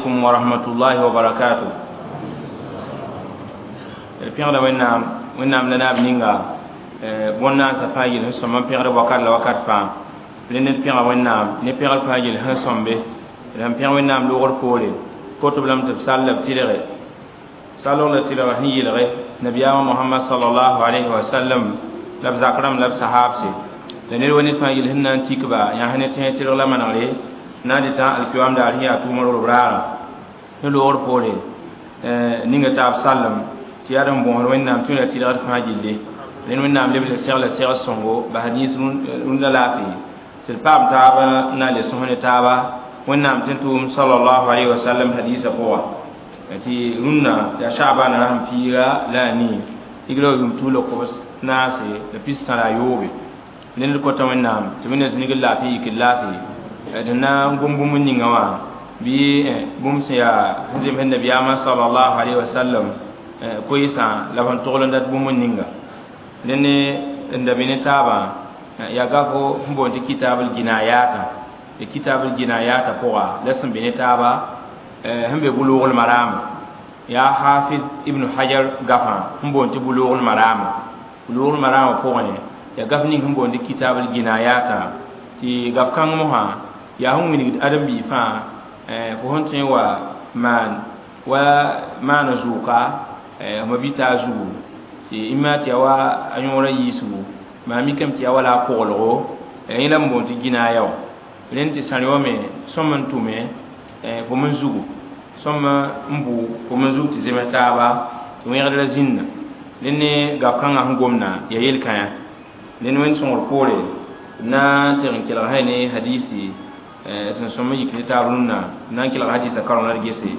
عليكم ورحمة الله وبركاته. Pẽgda Wẽnnaam, Wẽnnaam la naab ninga bõn-naasã fãa yel sẽn sõm n pẽgd wakat la wakat fãa. Rẽ ned pẽga Wẽnnaam ne pẽgr fãa yel sẽn sõmbe. D sẽn pẽg Wẽnnaam loogr poore, koto b lame tɩ b sall la b tɩlge sallg la tɩlga sẽn yɩlge nabiyaamã Mohamad salallahu alayhi wa sallam la b zak rãmb la b sahaabse la ned wa ned fãa yel sẽn na n tik ba yãs ne tẽeg tɩlg la manegre na n dɩ tã alkiyoam daar sẽn yaa tʋʋm rogr raarã. Ne loogr poore ninga taab sallem tɩ yaa d n bõosd Wẽnnaam tũ la tɩlgd fãa gilli. Rẽnd Wẽnnaam leb la segla segl sõngo bas nins rũndã laafɩ tɩ d paam taab n na n le sõs ne taaba Wẽnnaam tɩ n tʋʋm salallahu alayhi wa sallam hadiisã pʋga tɩ rũnnã yaa Shaabana rasem piiga la a nii igla yʋʋm tuula kobs naase la pistã la a yoobe. Rẽnd d kota Wẽnnaam tɩ wẽnnaam zĩnig d laafɩ yik d laafɩ d na n gom bũmb ninga wã bɩ bũmb sẽn yaa sẽn zems nabiyaamã salallahu alayhi wa sallam koeesã la b sẽn togl n dat bũmb ninga. Rẽnd n da be ne taabã yaa gafo sẽn boond tɩ kitabl jinayata, tɩ kitabl jinayata pʋga la sẽn be ne taaba sẽn be Bulugl Marama, yaa Hafiz Ibn Hajar gafã sẽn boond tɩ Bulugl Marama. Bulugl Marama pʋgẽ yaa gaf ning sẽn boond tɩ kitabl jinayata, tɩ gaf kãng mosã yaa sẽn wilgd ãdem-biig fãa fo sẽn tõe n wa maan wa maana zʋʋka ma bɩ t'a zugu tɩ imma tɩ ya wa a yõorã yiisgu maa mikame tɩ ya wala a koglgo yẽ la n boond tɩ ginaaya wã. Rẽnd tɩ sãr wame sõm n tʋme fo n zugu sõm n bʋ fo n zug tɩ zems taaba tɩ wẽgd ra zĩnna. Rẽnd ne gaf kãngã sẽn gomda yaa yel-kãyã. Rẽnd Wẽnd sõngr poore na n tɩg n kelg sã ne hadiisi sẽn sõm n yik ne taab rũnnã, na n kelg hadiisã kareng la d gese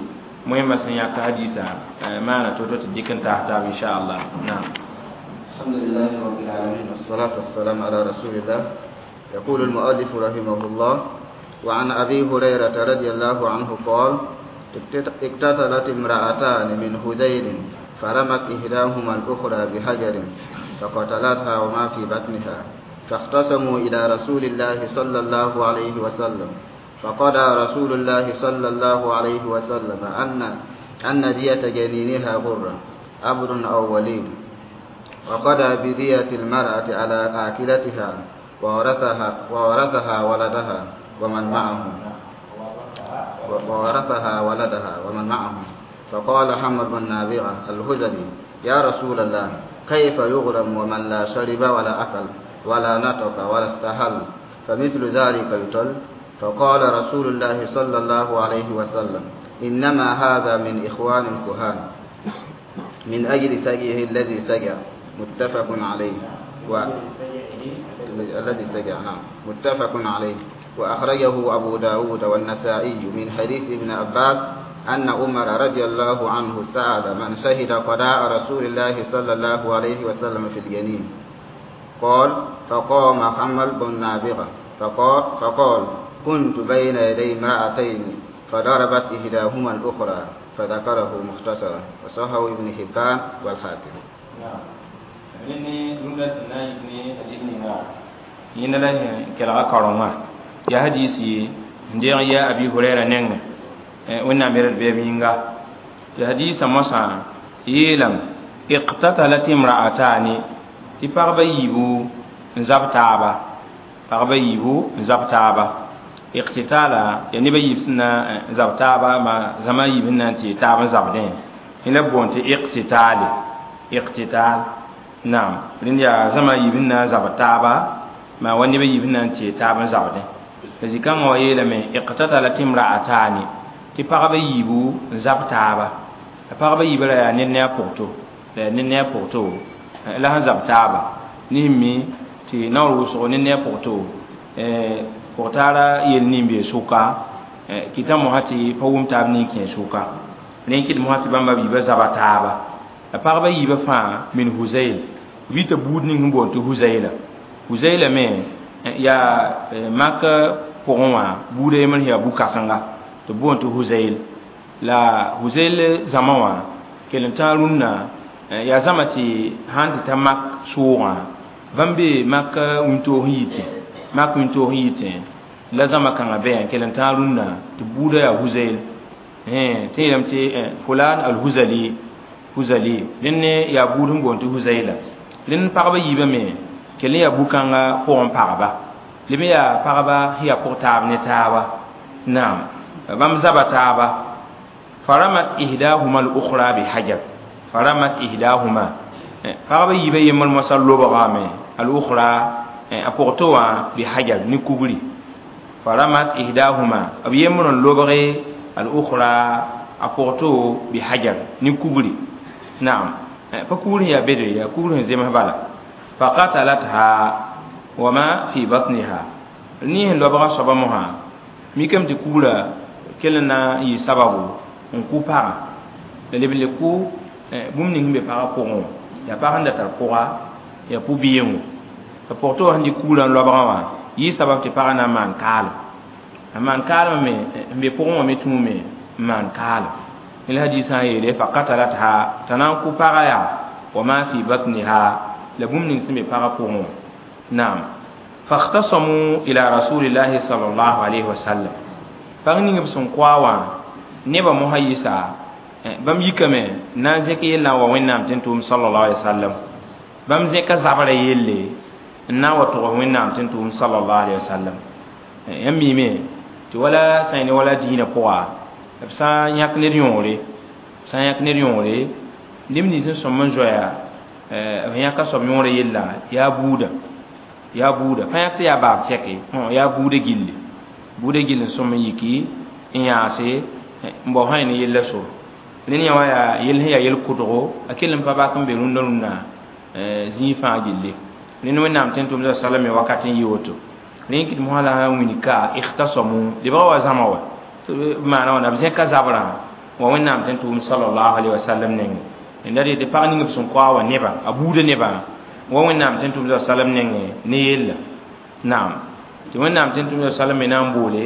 moẽmã sẽn yãk hadiisã maana to-to tɩ dɩk n taas taab inchallah. Naam. الحمد لله رب العالمين، والصلاة والسلام على رسول الله. يقول المؤلف رحمه الله: وعن أبي هريرة رضي الله عنه قال: اقتتلت امرأتان من هذيل، فرمت إحداهما الأخرى بحجر فقتلتها وما في بطنها، فاختصموا إلى رسول الله صلى الله عليه وسلم، فقضى رسول الله صلى الله عليه وسلم أن دية جنينها غرة عبد أو وليد، وقضى بدية المرأة على آكلتها وورثها ولدها ومن معهم، وورثها ولدها ومن معهم. فقال حمر بن نابغة الهذلي: يا رسول الله، كيف يغرم ومن لا شرب ولا أكل ولا نطق ولا استهل، فمثل ذلك يطل؟ فقال رسول الله صلى الله عليه وسلم: إنما هذا من إخوان الكهان من أجل سجعه الذي سجع. متفق عليه. الذي سجع، نعم، متفق عليه. وأخرجه أبو داود والنسائي من حديث ابن عباس أن عمر رضي الله عنه سأل من شهد قضاء رسول الله صلى الله عليه وسلم في الجنين، قال: فقام حمل بن نابغة فقال: كنت بين يدي امرأتين فضربت إحداهما الأخرى، فذكره مختصرا. وصححه ابن حبان والحاكم. نعم. Rẽnd rũndã sẽn na n yik ne hadis ninga yẽnda la kelga karengã yaa hadisi n deeg ya Abi Hurɛra nengẽ, Wẽnnaam yɛl d beeb yĩnga, tɩ hadiisã mosã yeelame: iqtatalat imra'atani, tɩ pagba yiibu n zab taaba, pagba yiibu n zab taaba. Iqtitala yaa neba yiib sẽn na n zab taaba, ma zãma yiib sẽn na n tɩ taab n zabdẽ, yẽ la b boond tɩ iqtitale, iqtital. Naam, rẽnd yaa zãma yiib sẽn na n zab taaba, maa wa neba yiib sẽn na n tɩ taab n zabdẽ. La zĩ-kãngã wa yeelame: iqtatalat imra'atani, tɩ pagba yiibu n zab taaba. La pagba yiibã ra yaa ned ne a pʋgto, la yaa ned ne a pʋgto la sẽn zab taaba. Nis mi tɩ naoor wʋsgo ned ne a pʋgto pʋgtaara yel nin bee sʋka kɩta mosã tɩ pa wʋm taab nin-kẽ sʋka. Rẽ kɩd mosã tɩ bãmba biibã zaba taaba. La pagba yiibã fãa min Huzail, vita buud ning sẽn boond tɩ Huzaila. Huzaila me yaa mak pʋgẽ wã buudã yembr sẽn yaa bu-kãsenga tɩ b boond tɩ Huzail. La Huzail zãma wã kell n tãag rũnnã yaa zãma tɩ sãn tɩ ta mak soogã bãmb be mak wĩntoog sẽn yitẽ, mak wĩntoog sẽn yitẽ la zãma kãngã bɛ n kell n tãag rũnnã tɩ buudã yaa Huzail. Tɩ yeelame tɩ fulan al-huzali huzali rẽnd ne yaa buud sẽn boond tɩ huzayla rẽnd pagba yiibame kell n yaa bu-kãngã pʋgẽ pagba leb n yaa pagba sẽn yaa pʋg taab ne taaba naam bãmb zaba taaba faramat ihdahuma al-ukhra bihajar faramat ihdahuma pagba yiiba yembr moasã lobgame al-ukhra a pʋgto wã bihajar ne kugri faramat ihdahuma b yembr n lobge al-ukhra a pʋgto bihajar ne kugri naam pa kugr n yaa bede yaa kugr sẽn zems bala faqatalatha wama fi batniha ni sẽn lobga soaba mosã mikame tɩ kugrã kell n na n yɩ sababu n kʋ pagã la leb n le kʋ bũmb ning sẽn be pagã pʋgẽ wã yaa pag sẽn da tar pʋga yaa pʋ-bɩɩngo t'a pʋgtɔ wã sẽn dɩ kugrã n lobgã wã yɩ sabab tɩ pagã na n maan kaalem a maan kaalmame sẽn be pʋgẽ wã me tũume n maan kaalem la hadisã yeele faqatalatha t'a na n kʋ pagã yaa wama fi batniha la bũmb ning sẽn be pagã pʋgẽ wã naam fakhtasamu ila rasulillahi sallallahu alayhi wa sallam pag ning b sẽn koa wã nebã mosã yɩsa bãmb yikame n na n zẽk yellã n wa wẽnnaam tɩ n tʋʋm sallallahu alayhi wa sallam bãmb zẽka zabrã yelle n na n wa tʋgs wẽnnaam tɩ n tʋʋm sallallahu alayhi wa sallam yãmb miime tɩ wala sã ne wala diinã pʋga b sã n yãk ned yõore sã n yãk ned yõore neb nins sẽn sõm n zoɛa b yãka soab yõorã yella yaa buudã pa yãk tɩ yaa baab tɛke yaa buudã gilli buudã gill n sõm n yiki n yãase n bao sã ne yella so rẽnd yã wã yaa yell sẽn yaa yel-kʋdgo a kell n pa bak n be rũndã rũnnã zĩig fãa gilli rẽnd wẽnnaam tɩ n tʋm sallam me wakat n yɩ woto rẽnd kɩt mosã la n wilka ikhtasamu lebga wa zãma wa maana wãna b zẽka zabrã wa wẽnnaam tɩ n tʋʋm sallallahu alayhi wa sallam nengẽ la tɩ pag ning b sẽn koa wa nebã a buudã nebã wa wẽnnaam tɩ n tʋm sallam nengẽ ne yella naam tɩ wẽnnaam tɩ n tʋm sallam me na n boole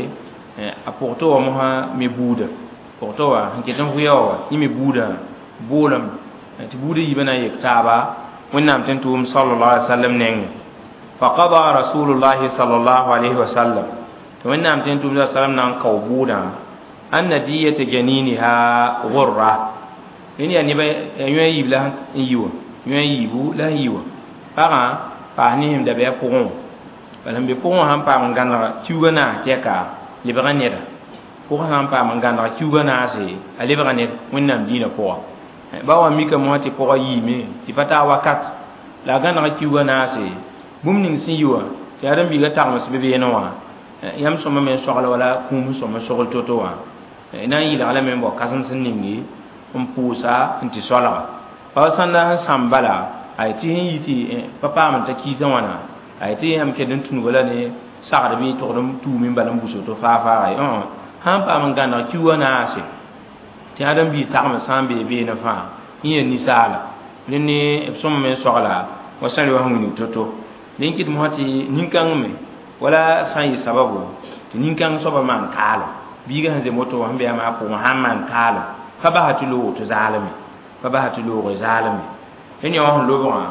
a pʋgtɔ wa mosã me buudã pʋgtɔ wã sẽn ket n vʋya wa yẽ me buudã boolame tɩ buudã yiibã na n yek taaba wẽnnaam tɩ n tʋʋm sallallahu alayhi wa sallam nengẽ faqada rasulullahi sallallahu alayhi wa sallam tɩ wẽnnaam tɩ n tʋʋm sallam na n kao buudã anna diyata janiniha ghurra rẽnd yaa neba yõ a yiib la n yi wã yõ a yiibu la n yi wã pagã paas ne sẽn da bɩ a pʋgẽ wã bala sẽn be pʋgẽ wã sãn paam n gãneg kiuugã naas tɛka lebga neda pʋgã sãn paam n gãneg kiuugã naase a lebga ned wẽnnaam diinã pʋga ba wa mika mosã tɩ pʋgã yiime tɩ pa taa wakat la a gãneg kiuugã naase bũmb ning sẽn yi wã tɩ ãdem-biigã tagms be beene wã yãmb sõma me n sogl wala kũum sõm n sogl to-to wã na n yɩlg lame n bao kãsem sẽn ningi n pʋʋsa n tɩ soalga pa sãn na sẽn sãmb bala a tɩ sẽn yi tɩ pa paam n ta kiisã wãna a tɩ yãmb ked n tũnuga la ne sagd bɩ togd n tuum n bala n bus woto faa faaga ye sãn paam n gãneg kiuugã naase tɩ ãdem-biig tagm sã n bee beene fãa yẽ yaa ninsaala rẽnd ne b sõma me n sogla wa sã re wã sẽn wilg to-to rẽn kɩt mosã tɩ nin-kãng me wala sã n yɩ sababu tɩ nin-kãng soabã maan kaalem biigã sẽn zem woto wã sẽn be yaa maa pʋgẽ sãn maan kaalem pa basa tɩ loog tɩ zaalme pa basa tɩ loog zaalme rẽnd yã wã sẽn lobgã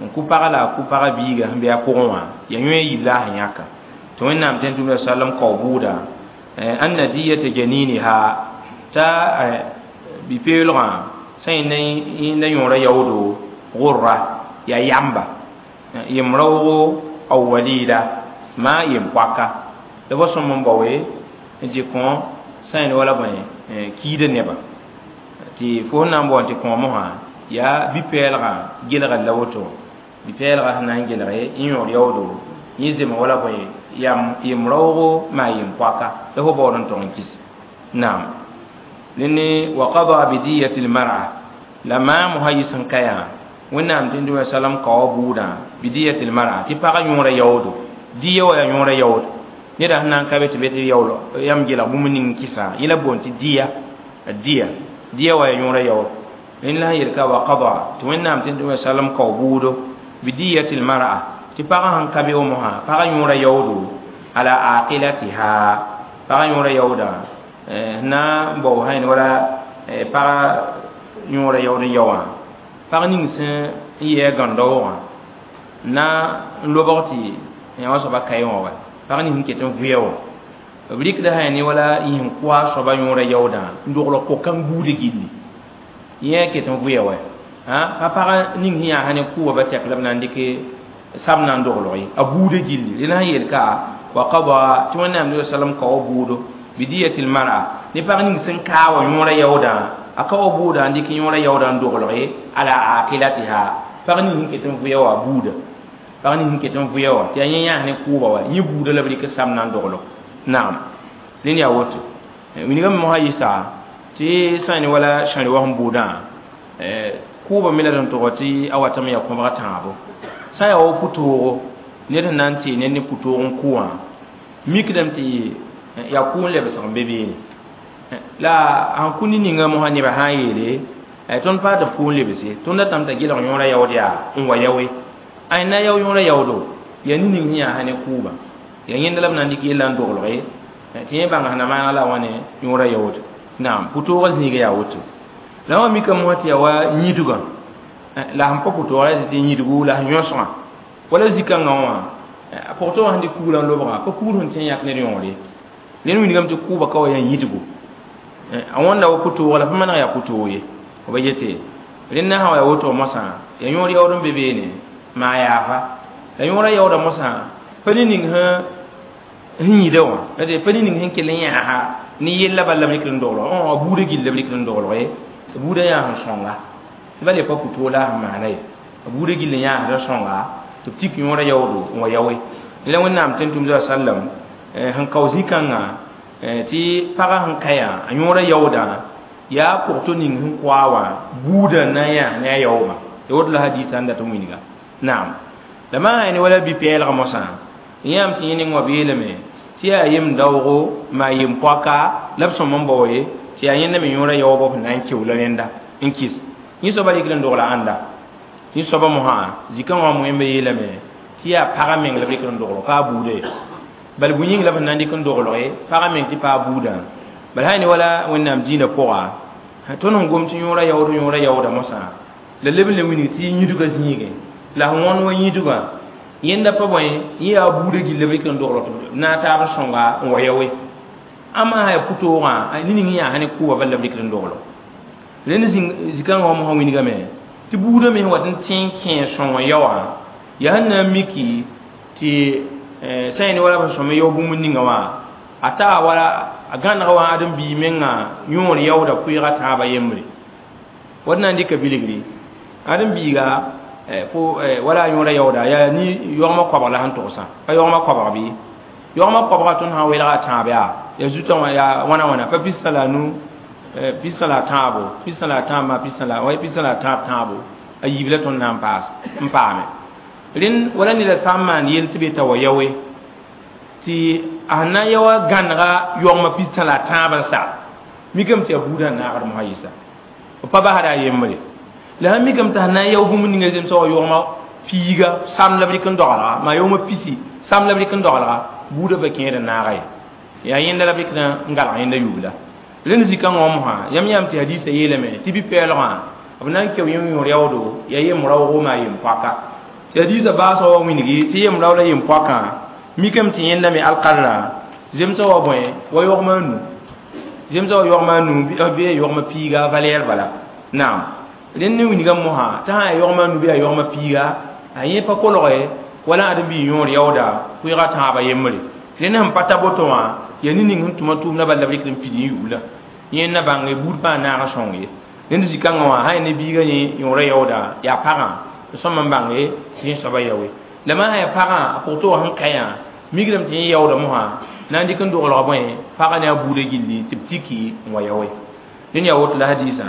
n kʋ pagã la a kʋ pagã biiga sẽn be a pʋgẽ wã yaa yõ a yiib la a sẽn yãka tɩ wẽnnaam tɩ n tʋmda sallam kao bʋʋda anna diyata janiniha t'a bi-peelgã sã yẽnda yõora yaoodo gʋrra yaa yamba yem raoogo aw walida maa yem poaka la fo sõm n baoe n tɩ kõ sã yẽnd wala bõe kiida nebã tɩ fo sẽn na n bao n tɩ kõ mosã yaa bi-pɛɛlgã gelgd la woto bi-pɛɛlgã sẽn na n gelge n yõod yaoodo yẽ zema wala bõe yem raoogo maa yem poaka la fo baood n tog n kis naam rẽnd wa qada bidiyati lmara la maa mosã yɩ sẽn ka yaa wẽnnaam tɩ n salam kao buudã bidiyati lmara tɩ pagã yõora yaoodo diya wa yaa yõora yaood neda sẽn na n ka be tɩ be tɩ yaool yãmb gelg bũmb ning kɩsa yẽ la boond tɩ diya diya diya wa yaa yõora yaood rẽnd la sẽn yel ka wa qada tɩ wẽnnaam tɩ n salam kao buudo bidiyati lmara tɩ pagã sẽn ka be wa mosã pagã yõora yaoodo ala aqilatiha pagã yõora yaoodã na n bao sã wala pagã yõora yaood n yao wã pag ning sẽn n yɩ a gãndaoogã na n lobg tɩ yã wã soaba kae wã wa pag ning sẽn ket n vʋya wã B rɩkda sã ne wala yĩn kʋa soaba yõora yaoodã n dogl ko-kãng buudã gilli yẽ ket n vʋya wɛ pa pag ning sẽn yaa ne kʋʋba ba tɛk la b na n dɩk sam na n doglg ye a buudã gilli rẽna sẽn yeel ka wa qada tɩ Wẽnnaam sallam ka wa bʋʋdo bidiyati lmara ne pag ning sẽn kaa wa yõora yaoodã a ka wa bʋʋda n dɩk yõora yaoodã n doglg ye ala aqilatiha pag ning sẽn ket n vʋya wa buuda pag ning sẽn ket n vʋya wa tɩ yaa yẽ yãas ne kʋʋba wa yẽ buudã la b rɩk sam na n doglg naam rẽnd yaa woto wilgame mosã yɩsa tɩ sã ne wala sãre wa sẽn buudã kʋʋba me la d n tog tɩ a watame yaa kõbga tãabo sã yaa wa pʋtoogo ned sẽn na n tee ned ne pʋtoog n kʋ wã mikdame tɩ yaa kʋ n lebsg n be beene la sãn kʋ ne ninga mosã nebã sã n yeele tõnd paa tɩ b kʋ n lebse tõnd datame t'a gelg yõora yaood yaa n wa yaoe a na yao yõora yaoodo yaa ne ning sẽn yaa sã ne kʋʋba yaa yẽnda la b na n dɩk yella n doglge tɩ yẽ bãng sẽn na maana la wãne yõora yaood naam pʋtoogã zĩiga yaa woto la wã mikame mosã tɩ yaa wa yĩdgã la sẽn pa pʋtoogã tɩ yĩdgu la sẽn yõsgã wala zĩ-kãngã wã a pʋgtɔ wã sẽn dɩk kugrã n lobga pa kugr sẽn tẽ n yãk ned yõore rẽnd wilgame tɩ kʋʋba ka wa yaa yĩdgu a wãnda wa pʋtoog la pa maneg yaa pʋtoog ye b yete rẽnd na sã wa yaa woto mosã yaa yõor yaood n be beene maa yaafa la yõora yaooda mosã pa ne ning sẽn yĩda wã pa ne ning sẽn kell n yãasa ne yella bal la b rɩkd n doglg a buudã gill la b rɩkd n doglg ye buudã yaa sẽn sõnga tɩ bal yaa pa pʋtoog la sẽn maana ye a buudã gill n yãasda sõnga tɩ b tik yõora yaoodo n wa yaoe la Wẽnnaam tɩ n tʋmd sallam sẽn kao zĩ-kãngã tɩ pagã sẽn ka yaa a yõora yaoodã yaa pʋgto ning sẽn koa wã buudã n na n yãas ne a yaoobã ya woto la hadiisã n dat n wilga naam la maa ne wala bi-pɛɛlg mosã yãam tɩ yẽ ning wã b yeelame tɩ yaa yem daoogo maa yem poaka la b sõm n bao ye tɩ yaa yẽnda me yõora yaoobã sẽn na n keoola rẽnda n kɩs yẽ soaba rɩkd n dogla ãnda yẽ soaba mosã zĩ-kãngã wã moẽmba yeelame tɩ yaa pagã meng la b rɩkd n dogl pa a buuda ye bal bũ yĩng la b sẽn na n dɩk n doglge pagã meng tɩ pa a buudã bal sã ne wala Wẽnnaam dĩinã pʋga tõnd sẽn gom tɩ yõora yaood yõora yaooda mosã la leb n le wilg tɩ yĩdgã zĩigẽ la sẽn wãn wa yĩdgã yẽnda pa bõe yẽ yaa buudã gill la b rɩk n dogl tɩ b na n taab sõnga n wa yaoe ãmba sã yaa pʋtoogã ne ning yãasa ne kʋʋba bal la b rɩkd n dogl rẽnd zĩ-kãngã wã mosã wilgame tɩ buudã me sẽn wat n tẽ n kẽ sõng n yaoã yaa sẽn na n miki tɩ sã yẽ ne wala b sẽn sõm yao bũmb ninga wã a taa wala a gãnega wã ãdem-biig mengã yõor yaooda kʋɩɩga tãabã yembre wat na n dɩka bilgri ãdem-biiga fo wala a yõora yaooda yaa ni yogmã koabg la sẽn togsã pa yogmã koabg bɩ yogmã koabga tõnd sã n welga a tãab yaa ya zutã wã yaa wãna wãna pa pistã la a nu pistã la a tãabo pistã la a tãab maa pistã la wa pistã la a tãab tãabo a yiib la tõnd na n paas n paame rẽnd wala neda sã n maan yel tɩ be t'a wa yaoe tɩ a sẽn na n yaoa gãnega yogmã pistã la a tãab n sa mikame tɩ yaa buudã n naagd mosã yɩsa b pa basda a yembre la sãn mikame tɩ sẽn na n yao bũmb ninga zemsã wa yogmã piiga sam la b rɩk n doglga maa yogmã pisi sam la b rɩk n doglga buudã pa kẽed n naaga ye yaa yẽnda la b rɩkd n galg yẽnda yubla rẽnd zĩ-kãngã wã mosã yãmb yãam tɩ hadiisã yeelame tɩ bi-pɛɛlgã b na n keo yẽ yõor yaoodo yaa yem raoogo maa yem poaka tɩ hadiisã baasã wa wilgi tɩ yem rao la yem poakã mikame tɩ yẽnda me alkarrã zemsã wa bõe wa yogmã a nu zemsã wa yogmã a nu bɩ ya yogmã piiga valɛɛr bala naam rẽnd ne wilgã mosã tɩ sã yaa yogmã a nu bɩ yaa yogmã piiga a yẽ pa kolge wala ãdem-biig yõor yaooda kʋɩɩga tãabã yembre rẽnd sẽn pa ta boto wã yaa ne ning sẽn tʋma tʋʋmdã bal la b rɩkd n pid n yubla yẽ na bãnge buud pãa naag sõng ye rẽnd zĩ-kãngã wã sã yaa ne biigã yẽ yõora yaooda yaa pagã tɩ sõm n bãnge tɩ yẽ soaba yaoe la maa sã yaa pagã a pʋgtɔ wã sẽn ka yã mikdame tɩ yẽ yaooda mosã na n dɩk n doglga bõe pagã ne a buudã gilli tɩ b tiki n wa yaoe rẽnd yaa woto la hadiisã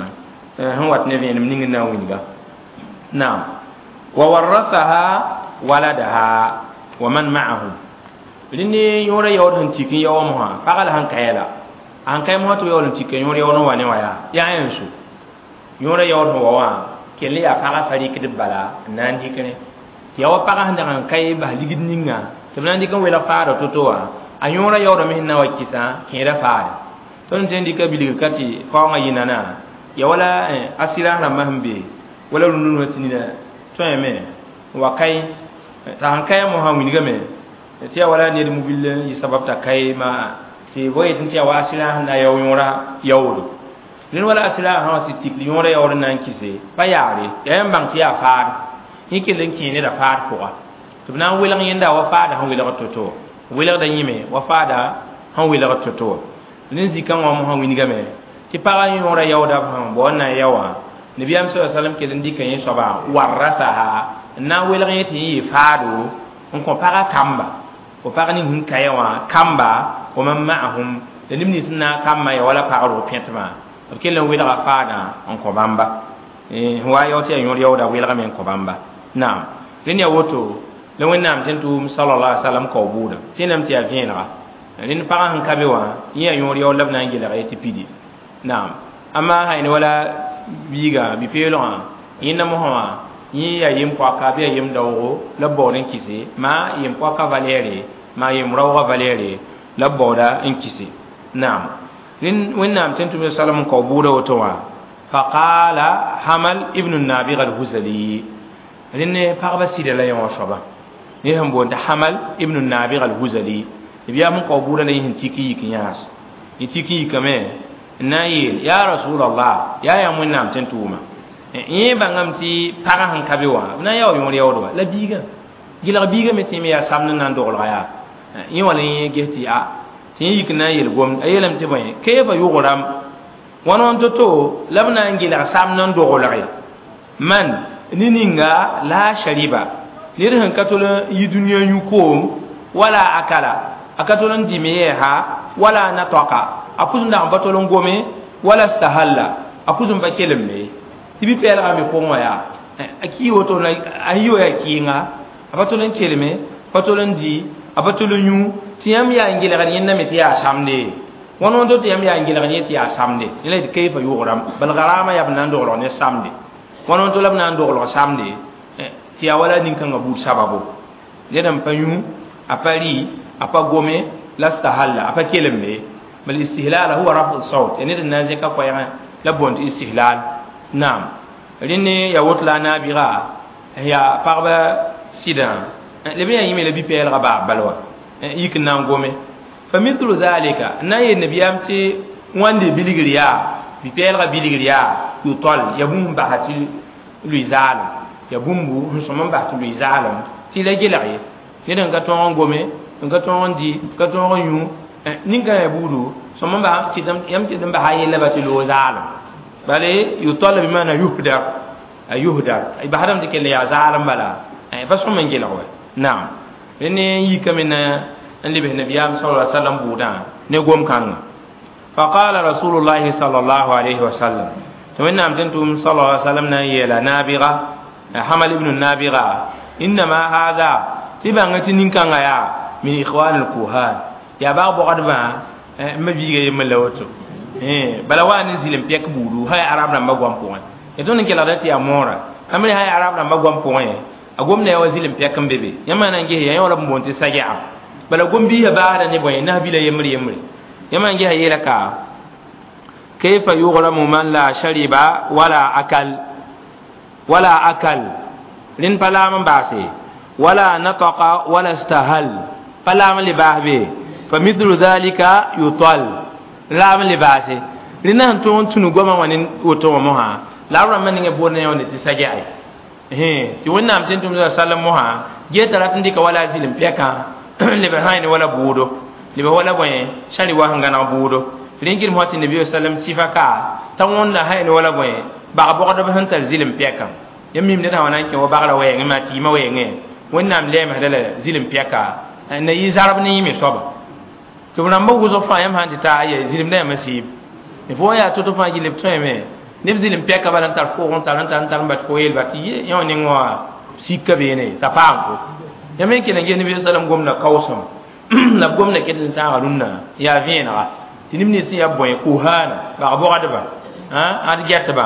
sẽn wat ne vẽenem ning n na n wilga naam wa warasaha waladaha wa man ma'ahum rẽnd ne yõora yaood sẽn tik n yaoa mosã pagã la sẽn ka yɛla a sẽn ka mosã tɩ b yaool n tik yõor yaood n wa ne wã yaa yaa yẽn so yõora yaood sẽn wa wã kell yaa pagã fa rɩkd bala n na n dɩkre tɩ yaa wa pagã sẽn dag n ka bas ligd ninga tɩ b na n dɩk n welg faada to-to wã a yõora yaoodame sẽn na wa kɩsã kẽeda faare tõnd tẽn dɩka bilgr ka tɩ faoongã yɩ nana ya wala asɩras rãmbã sẽn be wala rũndũnã tɩ nina tõeme n wa kae t'a sẽn kae mosã wilgame tɩ yaa wala ned mubil n yɩ sabab t'a kae ma Tɩ bo yetɩ tɩ yaa wa asɩla sẽn na yao yõora yaoodo rẽnd wala asɩla sã wã sɩ tikl yõora yaood n na n kɩse pa yaagre yaa yãmb bãng tɩ yaa faad yẽ kell n kẽe neda faad pʋga tɩ b na n welg yẽnda wa faada sẽn welgd to-to welgda yẽme wa faada sẽn welgd to-to rẽnd zĩ-kãngã wã mosã wingame tɩ pagã yõora yaooda b sẽn bao n na n yao wã nabiyaam sa sallam kell n dɩka yẽ soaba warrasaha n na n welg yẽ tɩ yẽ yɩ faado n kõ pagã kamba fo pag ning sẽn ka ya wã kamba wa man ma'ahum la neb nins sẽn na n kambã ya wala pagdg pẽtmã b kell n welga faadã n kõ bãmba sẽn wa yao tɩ yaa yõod yaooda welgame n kõ bãmba naam rẽnd yaa woto la wẽnnaam tɩ n tʋʋm sallallahu alaihi wasallam kao buudã tẽnam tɩ yaa vẽenega rẽnd pagã sẽn ka be wã yẽ yaa yõod yaood la b na n gelga ye tɩ pidi naam amma hayne wala biiga bi-peelgã yẽnda mosã wã yẽ yaa yem-poaka bɩ yaa yem-daoogo la b baood n kɩse maa yem-poaka valɛɛre maa yem-raoogã valɛɛre la b baooda n kɩse naam rẽnd wẽnnaam tɩ n tʋm salam n kao buudã woto wã faqala hamal ibnu nabig alhuzali rẽnd pagba sɩda la yẽ wã soaba ned sẽn boond tɩ hamal ibnu nabig alhuzali nabiyaam n kao buudã la yẽ sẽn tik n yik n yãas yẽ tik n yikame n na n yeel ya rasulallah yaa yãmb wẽnnaam tɩ n tʋʋma yẽ bãngame tɩ pagã sẽn ka be wã b na n yaoog yõor yaood wa la biigã gɩlg biigã me tɩ me yaa samd n na n doglga yaa yẽ wã la yẽ ges tɩ a tɩ yẽ yik n na n yeel gomd a yeelame tɩ bõe kayfa yugram wãn wãn to-to la b na n gɩlg samd n doglge man ne ninga la shariba ned sẽn ka tol n yi dũniyã yũ koom wala akala a ka tol n dɩme yɛɛsa wala natɔka a pʋs n dag n pa tol n gome wala stahalla a pʋs n pa kelemde tɩ bi-pɛɛlgã me pʋgẽ wã yaa a kii woto a yi wa yaa kɩɩnga a pa tol n kelme pa tol n dɩ a pa tol n yũ tɩ yãmb yaa n gelgd yẽnda me tɩ yaa samde wãn wãn to tɩ yãmb yaa n gelgd yẽ tɩ yaa samde yẽ la yetɩ kayfa yʋgram bal garaamã yaa b na n doglg ne samde wãn wãn to la b na n doglg samde tɩ yaa wala nin-kãngã buud sababo ned n pa yũ a pa rɩ a pa gome la stahalla a pa kelemde bal istihlal huwa rafu sawt ned n na n zẽka koɛɛgã la b boond istihlal naam rẽnd ya woto la a naabɩga yaa pagba sɩdã leb yaa yĩme la bi-pɛɛlgã baab bal wa yik n na n gome fa mithlu dhalika n na n yeel nabiyaam tɩ wãnde bilgr yaa bi-pɛɛlgã bilgr yaa yutɔl ya bũmb n basa tɩ lʋɩ zaalem ya bũmbu sẽn sõm n bas tɩ lʋɩ zaalem tɩ la gelg ye ned n ka tõog n gome n ka tõog n dɩ ka tõog n yũ nin-kãngã ya buudu sõm n bas yãmb tɩ n basa yella ba tɩ loog zaalem bale yutɔl bimana yuhdar a yuhdar basdame tɩ kell yaa zaalem bala pa sõm n gelg wa naam rẽnd n yikame na n lebs nabiyaam sala sallam buudã ne gom-kãngã faqala rasulullahi sallallahu alayhi wa sallam tɩ wẽnnaam tɩ n tʋʋm sala sallam na n yeela naabiga hamal ibnu naabiga innama hada tɩ bãnga tɩ nin-kãngã yaa min ikhwan alkuhan yaa bag bɔgdbã n ma biiga yembr la woto bala wa ne zɩlem pɛk buudu hay arab rãmbã goam pʋgẽ ya tõnd n kelgda tɩ yaa moora ãmb hay arab rãmbã goam pʋgẽ a gomda yaa wa zɩlem pɛk n be be yãmb na n ges yaa yẽ wala b boond tɩ sagɛga bala gom-biisã baasda ne bõe nasbila yembr yembre yãmb n gesa yeela ka kayfa yugramu man la shariba wala akal wala akal rẽnd pa laam n baase wala nataka wala stahal pa laam n le baas be fa mithlu dhalika yutal laam n le baase rẽnd sẽn tõog n tũnu goamã wã ne woto wã mosã la b rãmbã ninga boodã yã wã ne tɩ sagɛge tɩ wẽnnaam tɩ n tʋm sallam mosã geta rat n dɩka wala a zɩlem pɛkã leb sã ne wala bʋʋdo leb wala bõe sãri wa sẽn gãneg bʋʋdo rẽnd gɩdem tɩ nabi sallam sifa ka t'a wõnda sã ne wala bõe bag bɔgdb sẽn tar zɩlem pɛkã yãmb mim ned sã wa na n kẽ wa bagrã wɛɛngẽ maa tɩ yɩmã wɛɛngẽ wẽnnaam lɛɛmsda la zɩlem pɛka na yɩ zarb ne yĩme soaba tɩ b rãmbã wʋsg fãa yãmb sãn tɩ taa ya zɩlemdã yãmba sɩɩb fo yaa to-to fãa gil b tõeme neb zɩlem pɛka bala n tar foog n tar n tar n tar n bat fo yeelba tɩ ye yã wã neng wã sika beene t'a paam fo yãmb n kell n ges nabi sallam gomda kaoosem la b gomda ket n tãaga rũnnã yaa vẽenega tɩ neb nins sẽn yaa bõe kuhana bag bɔgdba ãd gɛtba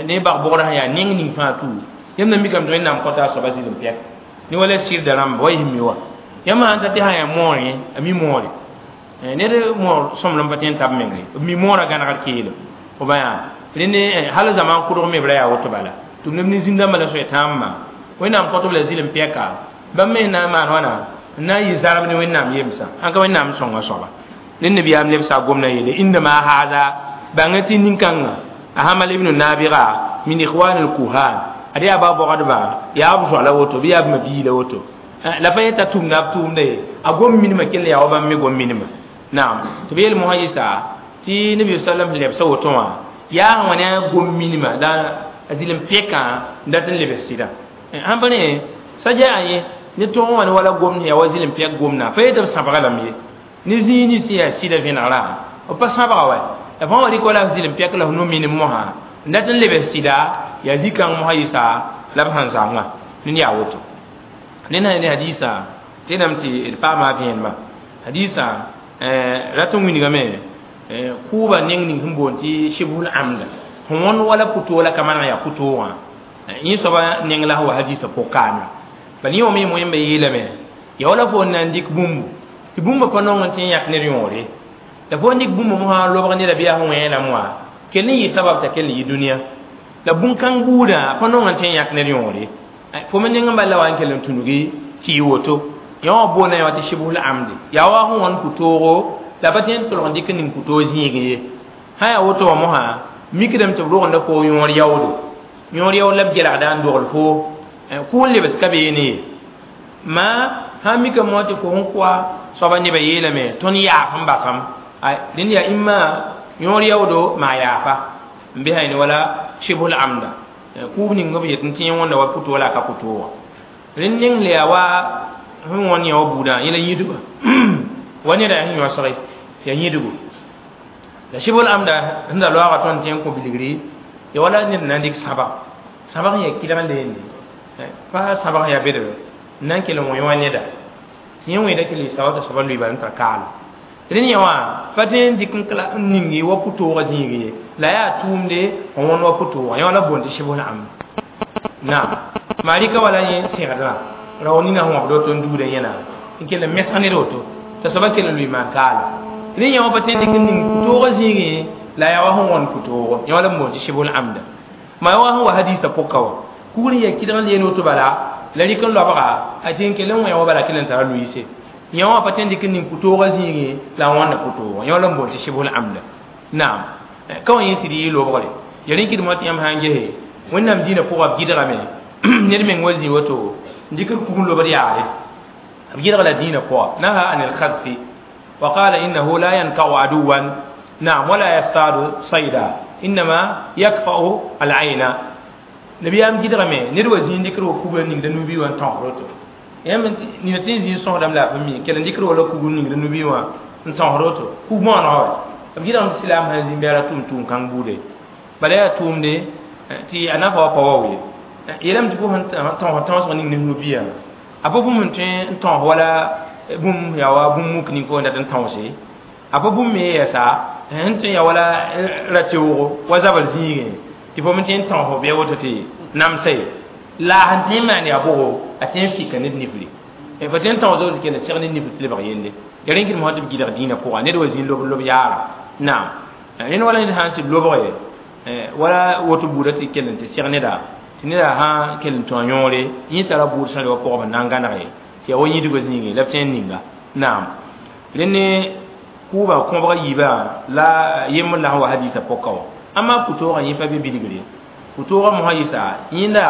ne bag bɔgdã sẽn yaa neng ning fãa tuu yãmb na mikame tɩ wẽnnaam kõta a soaba zɩlem pɛk ne wala sɩrda rãmba wa yismi wa yãmb sãn ta tɩ sã yaa moore a mi moore ned moor sõmblem pa tõe n tab menge b mi moorã gãnegr keelem fo ba yaa rẽnd hal zaman kʋdg me b ra yaa woto bala tɩ b neb ne zĩn-dãmbã la soay tãambã wẽnnaam kõtb la zɩlem pɛka bãmb me na n maan wãna n na n yɩ zarb ne wẽnnaam yemsã ãn ka wẽnnaam sõnga soaba Ne nabiyaam lebsa gomna yeele innama haada bãnga tɩ nin-kãngã a hamal ibnu nabiga min ikhwan al-kuhan ade yaa ba bɔgdba yaa b zoala woto bɩ yaa b mabii la woto la pa yeta tʋmda b tʋʋmda ye a gom minimã kell yaa wa bãmb me gom minimã naam tɩ b yeel mosã yɩsa tɩ nabi sallam lebsa woto wã yaa wã ne a gom minimã la a zɩlem pɛkã n dat n lebs sɩda sãn pa ne sa yaa yẽ ne tõog wã ne wala gomd yaa wa zɩlem pɛk gomdã pa yetɩ b sãbga lame ye ne zĩig nins sẽn yaa sɩda vẽnegrã b pa sãbga wa la fãa wa rɩk wala f zɩlem pɛk la f no-minim mosã n dat n lebs sɩda yaa zĩ-kãng mosã yɩsa la b sẽn zãngã ned yaa woto ned sã ne hadisa tɩ dame tɩ d paama a vẽenemã hadisa rat n wilgame kʋʋba neng ning sẽn boond tɩ shibhul amda sẽn wõnd wala pʋtoo la ka maneg yaa pʋtoogã yẽ soaba neng la sẽn wa hadisa pʋg kaame bala yẽ wã me wẽmba yeelame ya wala fo n na n dɩk bũmbu tɩ bũmba pa nong n tɩ n yãk ned yõore la fo n dɩk bũmba mosã lobg neda bɩ yaa sẽn wẽename wã kell n yɩ sabab t'a kell n yɩ dũniyã la bũn-kãng buudã pa nong n tɩ n yãk ned yõore fo me neng n bal la wa n kell n tũnugi tɩ yɩ woto yã wã boonda yã tɩ shibhul amde yaa wa sẽn wãnd pʋtoogo la pa tẽ n tolg n dɩk n ning pʋtoog zĩig ye sã yaa woto wã mosã mikdame tɩ b rogenda fo yõor yaoodo yõor yaood la b gelgda n dogl fo kʋʋn lebs ka beene ye ma sã n mikame wã tɩ fo sẽn kʋa soaba nebã yeelame tõnd yaaf n basem dẽnd yaa imma yõor yaoodo maa yaafa n besa ne wala shibhul amda kʋʋb ning b yet n tɩ yẽ wõnda wa pʋtoo la a ka pʋtoogã rẽnd neng le yaa wa sẽn wõnd yã wa buudã yẽla yĩdga wa neda sẽn yõsge yaa yĩdgo la shibhul amda sẽn da loaga tõnd tɩ n kõ bilgri ya wala ned na n dɩk sãbg sãbg n yaa kɩlg n leende pa sãbg yaa bedb n na n kell n wẽ wa neda tɩ yẽ wẽeda kell y saoor t'a soaba lʋɩ bala n tar kaala rẽnd yã wã pa tɩ n dɩk n kla n ningi wa pʋtoogã zĩig ye la yaa tʋʋmde n wõnd wa pʋtoogã yã wã la boond tɩ shibhul amd naam maa rɩka wala yẽ sẽgdrã rao nina sẽn wãbd woto n duuda yẽna n kell n mesg ned woto t'a soaba kell n lʋɩ maan kaala rẽ yã wã pa tɩ n dɩk n ning pʋtoogã zĩigẽ la yaa wa sẽn wõnd pʋtoogo yã wã la n boond tɩ shibhul amda maa wa sẽn wa hadiisã pʋka wã kugr n yaa kɩdg n leen woto bala la rɩk n loabga a tɩ n kell n wẽ wa bala kell n tara lʋɩɩse yã wã pa tɩ n dɩk n ning pʋtoogã zĩigẽ la a wõnda pʋtoogo yã wã la n boond tɩ shibhul amda naam ka wã yẽ sɩd yɩ lobgre ya rẽ kɩdmã tɩ yãmb sã n gese wẽnnaam dĩinã pʋga b gɩdgame ned meng wa zĩ woto n dɩk b kug n lobd yaare b gɩdg la dĩinã pʋga naha an alkhadfi wa qala innahu la yankau aduwan naam wala yastadu sayda innama yakfau alayna nabiyaam gɩdgame ned wa zĩ n dɩkd wa kuga ningda nubi wã n tõsd woto yãmb nina tɩ n zĩ n sõsdame la a pa mi kell n dɩkd wala kug n ningda nubi wã n tõsd woto kug moonegã wa b gɩdgame tɩ silaam sã n zĩ bɩ a ra tʋm tʋʋm-kãng buude bala yaa tʋʋmde tɩ a nafa wa pa wa ye yeelame tɩ fo sẽn tõs tõosg ning ne nubiyã a pa bũmb n tõe n tõs wala bũmb yaa wa bũmb muk ning fo dat n tõose a pa bũmb me yɛɛsa sẽn tõe yaa wala ra-teoogo wa zabr zĩigẽ tɩ fo me tõe n tõs bɩ woto tɩ namsa ye la sẽn tõe n maan yaa bʋgo a tõe n fika ned nifli fo tõe n tõs tɩ kell n seg ned nifl tɩ lebg yelle ya rẽ kɩdem tɩ b gɩdg dĩinã pʋga ned wa zĩ lob lob yaara naam rẽnd wala ned sã n sɩd lobge wala woto buudã tɩ kell n tɩ seg neda tɩ neda sã kell n tũ a yõore yẽ tara buud sã wa pʋgb n na n gãnege tɩ yaa wa yĩdgã zĩigẽ la b tõe n ninga naam rẽnd ne kʋʋba kõbga yiibã la yembr la sẽn wa hadiisã pʋka wã ãmma pʋtoogã yẽ pa be bilgre pʋtoogã mosã yɩsa yẽnda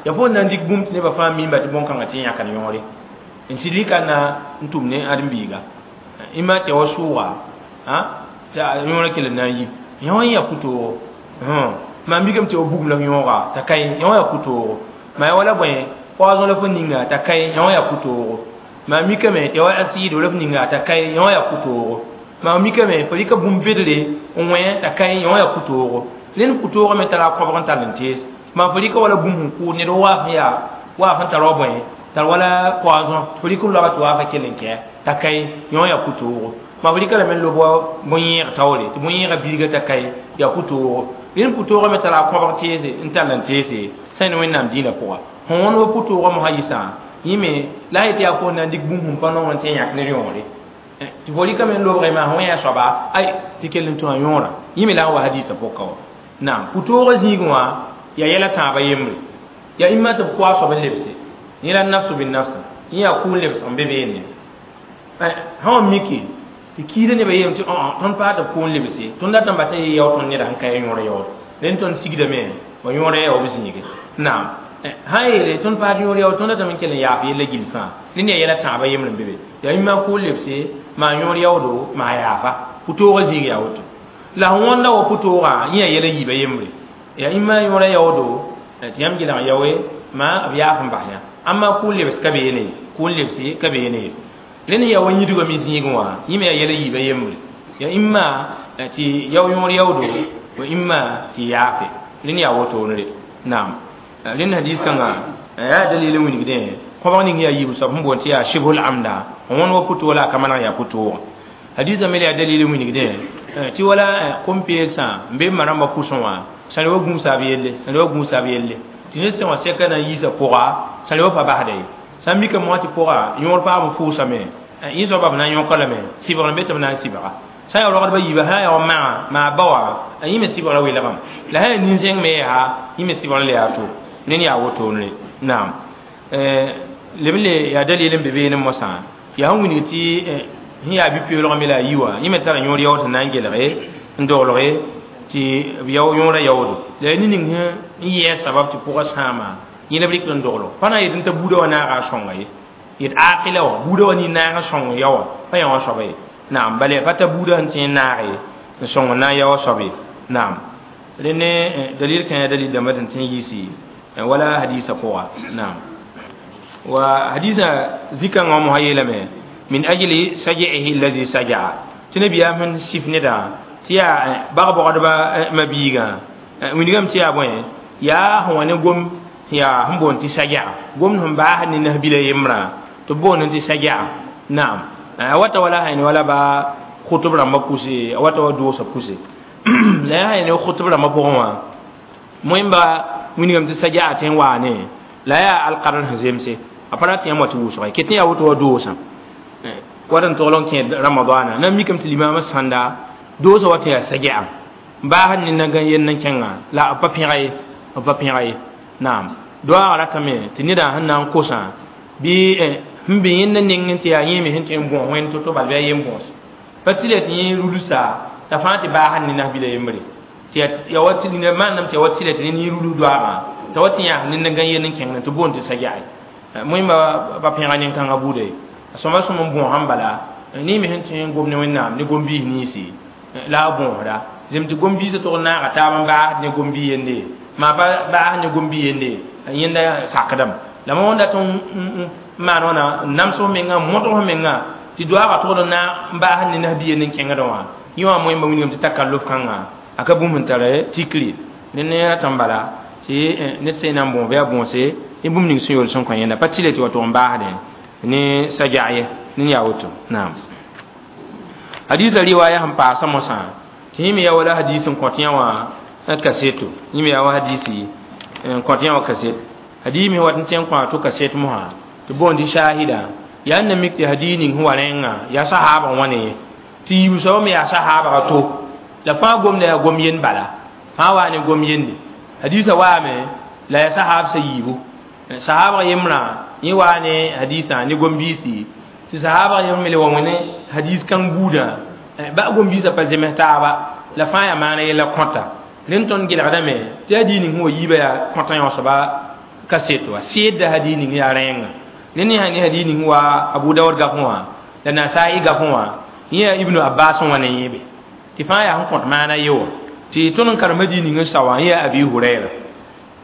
yaa fo n na n dɩk bũmb tɩ nebã fãa mimba tɩ bõn-kãngã tɩ yãkd yõore n tɩ rɩka na n tʋm ne ãdem-biiga ĩma tɩ wa sʋʋga tɩ yõorã kell n na n yi yã wã yaa pʋtoogo maa mikame tɩ wa bugum la yõoga t'a ka yã wã yaa pʋtoogo maa ya wala bõe poison la fo ninga t'a ka yã wã yaa pʋtoogo maa mikame tɩ wa asiido la f ninga t'a ka yã wã yaa pʋtoogo maa mikame fo rɩka bũmb bedre n wẽ t'a ka yã wã yaa pʋtoogo rẽnd pʋtoogã me tara a kõbg n tall n tees maa fo rɩka wala bũmb sẽn kʋʋd ned waaf n yaa waaf n tar wa bõe tar wala poison fo rɩk n loaba tɩ waafa kell n kɛ t'a ka yã wã yaa pʋtoogo maa fo rɩka lame n lob wa bõn-yẽeg taoore tɩ bõn-yẽegã bilga t'a ka yaa pʋtoogo rẽnd pʋtoogã me tara a kõbg teese n tall n teese sã ne wẽnnaam dĩinã pʋga sẽn wõnd wa pʋtoogã mosã yɩsã yẽme la a yetɩ yaa fo na n dɩk bũmb sẽn pa nong n tɩ n yãk ned yõore tɩ fo rɩkame n lobge maa sẽn wẽ yaa soaba ay tɩ kell n tũ a yõora yẽme la n wa hadiisã pʋka wã naam pʋtoogã zĩigẽ wã yaa yɛla tãabã yembre yaa ĩmma tɩ b kʋa soab n lebse yẽ la nafsu bin nafs yẽ yaa kʋʋn lebsg n be beene sã wa miki Tɩ kiida nebã yeelame tɩ tõnd paata kʋʋn lebse tõnd dat n bata ye yao tõnd neda sẽn ka ya yõor yaood rẽnd tõnd sigdame wa yõor yao b zĩige naam sã n yeele tõnd paat yõor yaood tõnd datame n kell n yaaf yella gill fãa rẽnd yaa yɛla tãabã yembr n be be yaa yĩmma kʋʋn lebse maa yõor yaoodo maa yaafa pʋtoogã zĩig yaa woto la sẽn wõnda wa pʋtoogã yẽ yaa yɛla yiibã yembre yaa yĩmma yõora yaoodo tɩ yãmb gɩlg yaoe maa b yaaf n bas yã ãmma kʋʋn lebs ka beene kʋʋn lebse ka beene rẽnd yaa wa yĩdgã me zĩigẽ wã yẽ me yaa yɛla yiibã yembre yaa ĩmma tɩ yao yõor yaoodo wa ĩmma tɩ yaafe rẽnd yaa wotone naam rẽnd hadis kãnga yaa dalil n wilgdẽ kõbg ning yaa yiib soab sẽn boond tɩ yaa shibhul amda n wõnd wa pʋtoog la a ka maneg yaa pʋtoogã hadisã me yaa dalil n wilgdẽ tɩ wala kom-peelsã n be ma rãmbã pʋsẽ wã sã wa gũusa b yelle sã wa gũusa b yelle tɩ ned sẽn wã sɛka na n yiisa pʋga sã wa pa basda ye sã n mika moã tɩ pʋga yõor paam n fʋʋsame yẽ soaba b na n yõka lame sɩbgr n be tɩ b na n sɩbga sã n yaa rogdbã yiibã sã n yaa wa maga maa ba wã yẽ me sɩbgrã welgame la sã n yaa nin-zẽng me yaa yẽ me sɩbgr le yaa to ned yaa wotone naam leb n le yaa dalil n be beene mosã yaa sẽn wilg tɩ sẽn yaa bi-peoolgã me la a yi wã yẽ me tara yõor yaood sẽn na n gelge n doglge tɩ b yao yõora yaoodo la yaa ning n yɛɛ sabab tɩ pʋgã sãama yẽ la b rɩk n doglo pa na n yet n t'a buudã wã naaga a sõnga ye yet aqila wã buudã wã nin-naag n sõng yaoã pa yã wã soaba ye naam bala pa t'a buudã sẽn tẽ n naage n sõng n na n yaoã soab ye naam rẽ ne dalil kã yaa dalil dãmba tɩ n tẽ n yiisi wala hadisa pʋga naam wa hadisa zikãngã mosã yeelame min ajli sajihi allazi sajaa tɩ nabiyaam sẽn sif nedã tɩ yaa bag-bogdba mabiigã wilgame tɩ yaa bõe yaa sẽn wa ne gom yaa sẽn boond tɩ sajaa gomd sẽn baasd ne nasbila yembrã tɩ b boond tɩ sajaa naam a wata wala sã wala ba khutb rãmbã pʋse a wata wa doosã pʋse la yaa sã ne khutb rãmbã pʋgẽ wã moẽmba wilgame tɩ sajaa tẽ n waane la yaa alqadr sẽn zemse a pa rat yãmb wa tɩ wʋsga ket yaa woto wa doosã wat n togl n kẽ ramadaana na n mikame tɩ limaamã sãnda doosã wa tɩ yaa sajaa n baasd ne nagã yend n kẽnga la b pa pẽga ye b pa pẽga ye naam doaagã ratame tɩ nedã sẽn na n kosã bɩ sẽn be yẽnda nengẽ tɩ yaa yẽ me sẽn tõe n bõos wẽnd to-to bal bɩ a yen bõos pa tɩ la tɩ yẽ rulsa t'a fãa tɩ baasd ne nasbila yembre tɩ ya wa tɩ maandame tɩ ya wa tɩla tɩ ned yẽ rulus doaagã t'a wa tɩ yãas ned n gã yend n kẽngd tɩ boond tɩ sajaa moẽmba pa pẽga nin-kãngã buuda ye a sõma sõm n bõosã n bala ne me sẽn tõe n gom ne wẽnnaam ne gom-biis ninsi la a bõosda zem tɩ gom-biisã tog n naaga taab n baasd ne gom-bi yende maa pa baasd ne gom-bi yende yẽnda sakdame la ma wãnda tɩ n maan wãna n nams f menga n mõtg f menga tɩ doaagã togd n na n baasd ne nasbi yend n kẽngdẽ wã yẽ wã moẽmba wilgame tɩ takalluf kãnga a ka bũmb sẽn tar tikri ne ne ratã n bala tɩ ned sẽn na n bõos bɩ a bõose ne bũmb ning sẽn yool sẽn kõ yẽnda pa tɩ le tɩ wa tʋg n baasdẽ ne sajaa ye ne yaa woto naam hadisa riwaya sẽn paasa mosã tɩ yẽ me yaa wala hadis n kõt yã wã kaseto yẽ me yaa wa hadisi n kõt yã wã kaset hadis me wat n tẽ n kõ a to kaset mosã tɩ boond tɩ shahida yaa n na mik tɩ hadis ning sẽn wa rẽngã yaa sahaabã wã ne tɩ yiib soabã me yaa sahaabga to la fãa gomda yaa gom yend bala fãa waa ne gom yende hadisa waame la yaa sahaab sa yiibu sahaabg yembrã yẽ waa ne hadisã ne gom-biisi tɩ sahaabg yemb me le wa wẽne hadis kãng buudã ba gom-biisã pa zems taaba la fãa yaa maana yella kõta rẽnd tõnd gelgdame tɩ hadis ning sẽn wa yiibã yaa kõta yã soaba kaset wa seedda hadis ning yaa rẽenga rẽnd yã ne hadis ning wa abu daoud gafẽ wã la nasai gafẽ wã yẽ yaa ibnu abbas wã ne yẽbe tɩ fãa yaa sẽn kõt maana ye wã tɩ tõnd n karem hadis ning n sa wã yẽ yaa abi huraira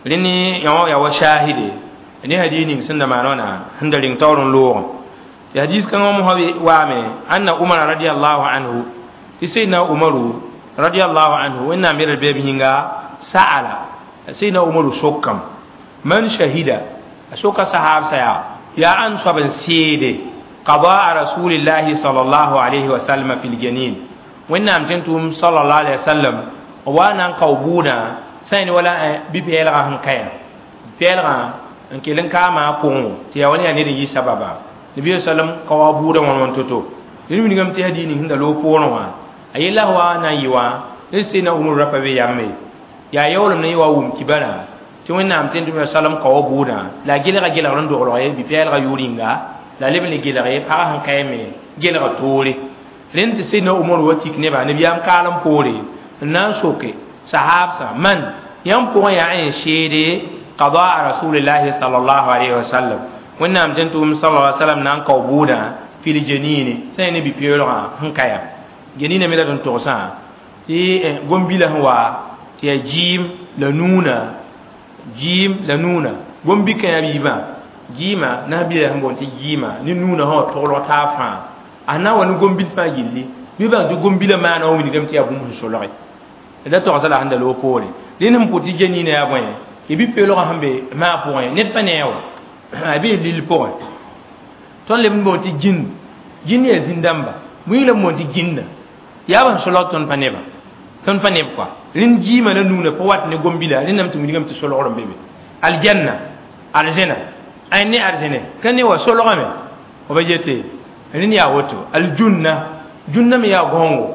rẽnd yã wã yaa wa shahide ne hadis ning sẽn da maan wãna sẽn da reng taoor n loogã tɩ hadis kãngã mosã waame anna umara radiallahu anhu tɩ sayyidina umaru radiallahu anhu wẽnnaam yɛl bɛɛb yĩnga sa'ala sayyidina umaru sokam man shahida a soka sahaab sa yaa yaa ãn soab n seede qada'a rasulillahi sallallahu alayhi wa sallam fi ljanin wẽnnaam tẽn tʋʋm sallallahu alayhi wa sallam wa na n kao buudã sã n wala bɩ-pɛɛlgã sẽn ka yã pɛɛlgã n kell n kaama pʋgẽ tɩ yaa wa ne yaa ned n yɩ sababa nabi sallam ka wa buudã wãn wãn to-to ned wilgame tɩ hadis ning sẽn da loog poorẽ wã a yella wa na n yɩ wã ned sẽna umar rapa be yame yaa yaoolem na yẽ wa wʋm kibara tɩ wẽnnaam tẽn tɩ sallam ka wa buudã la a gelga gelgr n doglg ye bɩ-pɛɛlgã yʋʋr yĩnga la a leb n le gelge pagã sẽn ka me gelga toore Rẽnd tɩ Seydna Omar wa tik nebã nabiyaam kaalem poore n na n soke sahabsã man yãmb pʋgẽ yaa n seede قضاء رسول الله صلى الله عليه وسلم wẽnnaam tɩ n tʋʋm sallallahu alaihi wasallam na n kao buudã fil janini sã ne bi-peoolgã sẽn ka yaa janina me la tɩ n togsã tɩ gom-bilã sẽn wa tɩ yaa jiim la nuuna jiim la nuuna gom-bikã yaa biibã jiima nasb-bilã sẽn boond tɩ jiima ne nuuna sã wa toglg taa fãa a na n wa ne gom-bil fãa gilli bɩ bãng tɩ gom-bilã maana wa wilgame tɩ yaa bũmb sẽn solge da togsa la sẽn da loog poore rẽnd sẽn pʋt tɩ janina yaa bõe tɩ bi-peoolgã sẽn be maa pʋgẽ ned pa ne a wa a bee lill pʋgẽ tõnd leb n boond tɩ jĩnd jĩnd yaa zĩn-dãmba bũi la b boond tɩ jĩnda yaa b sẽn solg tõnd pa nebã tõnd pa neb kɔa rẽnd jiimã la nuuna pa wat ne gom-bila rẽndame tɩ wilgame tɩ solgr n be be aljanna arzẽna ay ne arzẽne ka ne wa solgame b yete rẽnd yaa woto aljunna junna me yaa gõngo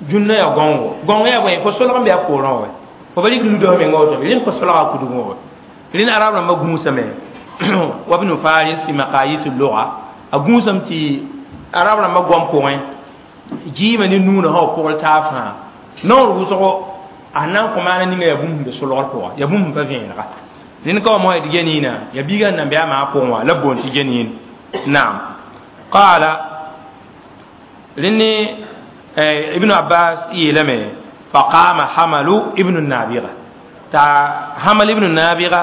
junna yaa gõngo gõng yaa bõe fo solg n be a poorẽ wa fo ba rɩk luda menga woto rẽnd fo solga kudugẽ wa rẽnd arab rãmbã gũusame wa ibn faris fi maqayis al-lugha a gũusame tɩ arab rãmbã goam pʋgẽ jiimã ne nuunã sã wa pʋgl taa fãa noor wʋsgo a na n kõ maana ninga yaa bũmb sẽn be solgr pʋga yaa bũmb sẽn pa vẽenega rẽnd ka wa mosã tɩ geniina yaa biigã n nan be a maa pʋgẽ wã la b boond tɩ geniin naam qaala rẽnd ibn abbas yeelame faqama hamalu ibnu nabiga t'a hamal ibnu nabiga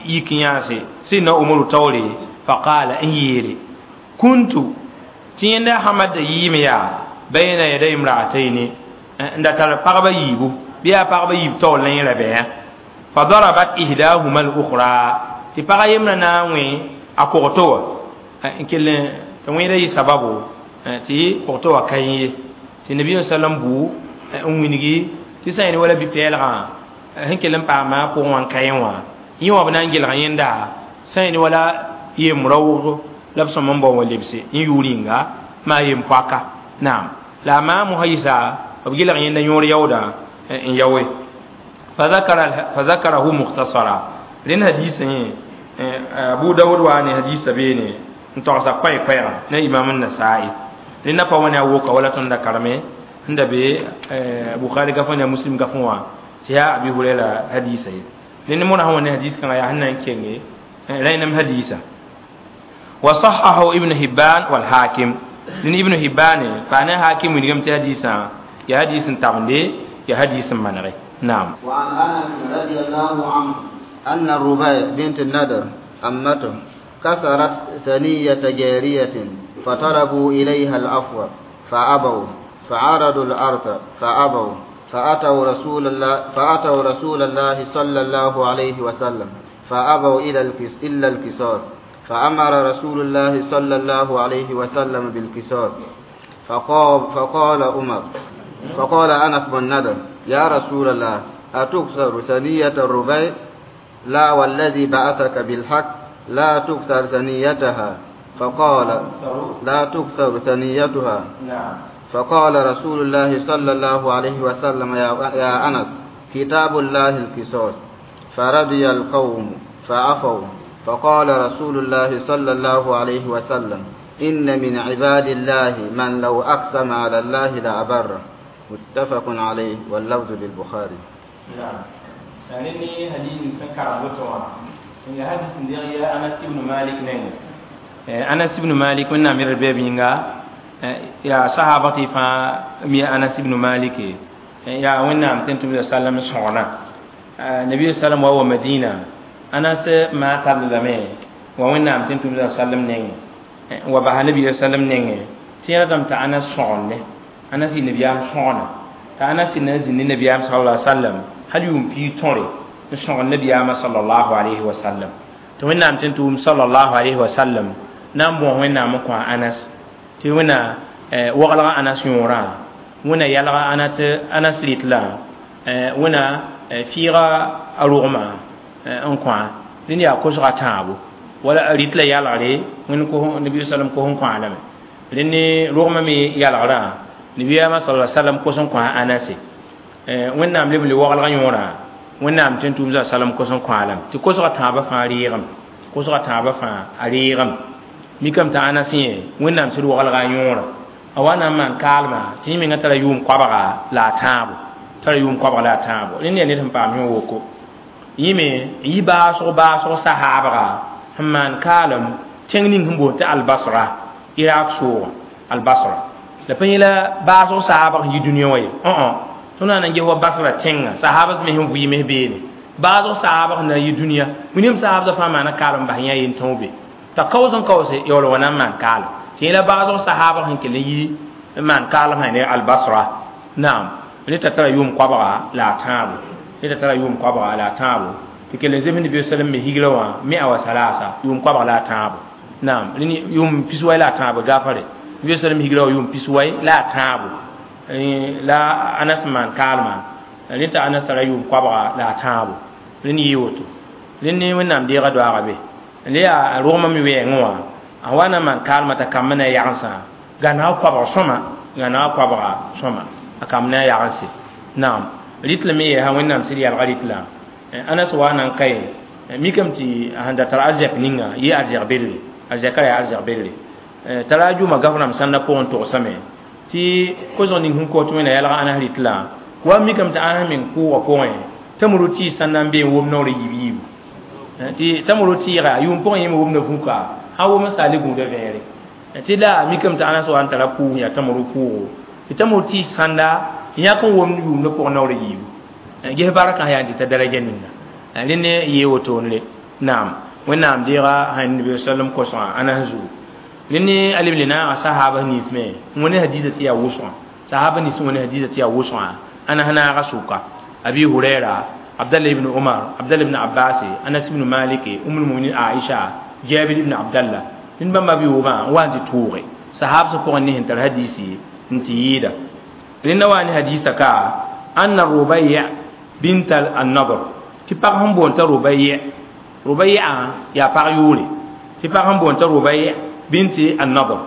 yik yãase sidna umaru taoore faqala n yeele kuntu tɩ yẽnda hamad da yɩɩme yaa bayna yaday imraatayni n da tar pagba yiibu bɩ yaa pagba yiib taoor la yẽ ra bɛɛ fa darabat ihdahuma al-ukhra tɩ pagã yembrã na n wẽ a kogto wã n kell tɩ wẽeda yɩ sababu tɩ kogto wã ka yẽ ye tɩ nabi sallam bu n wilgi tɩ sã n wala bi-pɛɛlgã sẽn kell n paama pʋgẽ wã n ka yẽ wã yẽ wã b na n gelg yẽnda sã n wala yem raoog la b sõm n bao wã lebse n yʋʋr yĩnga maa yem poaka naam la a maa mosã yɩsa b gelg yẽnda yõor yaoodã n yaoe فذكره مختصرا لأن حديث أبو داود واني حديث بيني n togsa koɛɛ-koɛɛga ne imam nasai rẽnda pa wa ne a woka wala tõnd da karme n da be bukhari gafã ne a muslim gafẽ wã tɩ yaa abi hurɛra hadisa ye rẽnd modã sẽn wa ne hadis kãngã yaa sẽn na n kenge rẽnem hadisa wa sahahu ibn hibban walhakim rẽnd ibn hibban pa ne hakim wilgame tɩ hadisã yaa hadis n tabende yaa hadis n manege naam وعن انس رضي الله عنه ان الربيع بنت النضر امته كسرت ثنية جارية فطلبوا إليها العفو فأبوا فعرضوا الأرض فأبوا فأتوا رسول الله صلى الله عليه وسلم فأبوا إلا القصاص فأمر رسول الله صلى الله عليه وسلم بالقصاص فقال عمر فقال أنس بن نضر يا رسول الله أتكسر ثنية الربيع لا والذي بعثك بالحق لا تكسر ثنيتها فقال لا تكسر ثنيتها نعم فقال رسول الله صلى الله عليه وسلم يا أنس كتاب الله القصاص فرضي القوم فعفوا فقال رسول الله صلى الله عليه وسلم إن من عباد الله من لو أقسم على الله لأبره متفق عليه واللفظ للبخاري نعم يعني حديث سنكر ya hadis n ya Anas ibn Malik neng Anas ibn Malik wẽnnaam yẽr bɛɛb yĩnga ya sahaba tɩ fãa mi Anas ibn Malik ya wẽnnaam tɩ n tʋmd sallam sõgna nabi sallam wa wa Madina Anas ma tall lame wa wẽnnaam tɩ n tʋmd sallam neng wa basa nabi sallam neng tɩ yẽlgame t'a Anas sõgende Anas yɩ nabiyaam sõgna t'a Anas na n zĩnd ne nabiyaam sallallahu alaihi wasallam hal yʋʋm piig tõre n sõgd nabiyaamã sallallahu alayhi wa sallam tɩ wẽnnaam tɩ n tʋʋm sallallahu alayhi wa sallam na n bõos wẽnnaam n kõ a anas tɩ wẽnna waglga anas yõorã wẽnna yalga anas rɩtlã wẽnna fɩɩga a rogmã n kõ-a rẽnd yaa kosga tãabo wala rɩtlã yalgre wẽnd nabi sallam kos n kõ-a lame rẽnd ne rogmã me yalgrã nabiyaamã sallallahu alayhi wa sallam kos n kõ a anase wẽnnaam leb n le waglga yõorã wẽnnaam tɩ n tʋʋm salam kos n kõ lame tɩ kosga tãabã fãa reegame kosga tãabã fãa a reegame mikame t'a anas yẽ wẽnnaam sɩd waglga a yõorã A wa na n maan kaalmã tɩ yẽ menga tara yʋʋm koabga la a tãabo, tara yʋʋm koabga la a tãabo. Rẽnd yaa ned sẽn paam yõ woko yẽ me n yi baasg sahaabga sẽn maan kaalem tẽng ning sẽn boond tɩ Albasra, Irak soogã, Albasra. La pa yẽla baasg sahaabg sẽn yi dũniyã wã ye, tõnd na n ges wa Basra tẽngã sahaabs me sẽn vɩɩmes beene, baasg sahaabg sẽn na n yi dũniyã. Wĩnneem sahaabsã fãa maana kaalem bas yã yen tõog be t'a kaoos n kaoose yaool wa na n maan kaalem tɩ yẽla baasg sahaabg sẽn kell n yi n maan kaalem sã ne Albasra. Naam, ned t'a tara yʋʋm koabga la a tãabo, ned t'a tara yʋʋm koabga la a tãabo tɩ kell n zems nabi sallam me higra wã mi'a wa salasa, yʋʋm koabga la a tãabo. Naam, yʋʋm piswai la a tãabo, gafare, nabi sallam higra wã yʋʋm piswai la a tãabo la Anas maan kaalmã. Rẽnd t'a Anas tara yʋʋm koabga la a tãabo. Rẽnd yɩ woto rẽnd ne Wẽnnaam deega doaaga be n yaa rogmã me wɛɛngẽ wã a wa na n maan kaalmã t'a kambã na yagensã gãnega koabg sõma, gãnega koabga sõma a kamb na yagense. Naam, rɩt la me yɛɛsa Wẽnnaam sɩd yalga rɩt la Anas wa na n kae mikame tɩ a sẽn da tar arzɛk ninga yɩ arzɛk bedre, arzɛka yaa arzɛk bedre tara a jʋʋma gaf rãmb sãnda pʋgẽ togsame tɩ kosg ning sẽn kos tɩ Wẽnna yalga Anas rɩt la wa mikame tɩ Anas meng kʋʋgã pʋgẽ tamro tɩɩs sãn na n bee n wom naoor yiib yiibu tɩ tamro tɩɩga yʋʋm pʋgẽ yẽme womda vũka sã wom n saal gũudã vẽere tɩ la mikame tɩ Anas wa n tara pʋʋg yaa tamro pʋʋgo tɩ tamro tɩɩs sãnda yãk n wom yʋʋmdã pʋgẽ naoor yiibu ges barkã yaa n dɩta daraja ninga rẽnd yee wotone. Naam, Wẽnnaam deega sẽn nabi sallam kosgã Anas zugu. Rẽnd ne alib le naaga sahaaba nins me n wẽne hadiisa tɩ yaa wʋsgã, sahaaba nins n wẽne hadiisa tɩ yaa wʋsgã Anas naaga sʋka: Abi Huraira, Abdallah ibn Umar, Abdallah ibn Abbas, Anas ibn Malik, Umm al-Mu'minin Aisha, Jabir ibn Abdallah. Rẽnd bãmba b yoobã n wa n tɩ tʋʋge sahaab sã pʋgẽ ne sẽn tar hadiisi n tɩ yɩɩda. Rẽnd na wa ne hadiisa ka anna Rubaiya bint an-Nadr, tɩ pag sẽn boond t'a Rubaiya, Rubaiya yaa pag yʋʋre, tɩ pag sẽn boond t'a Rubaiya binti an-Nadr,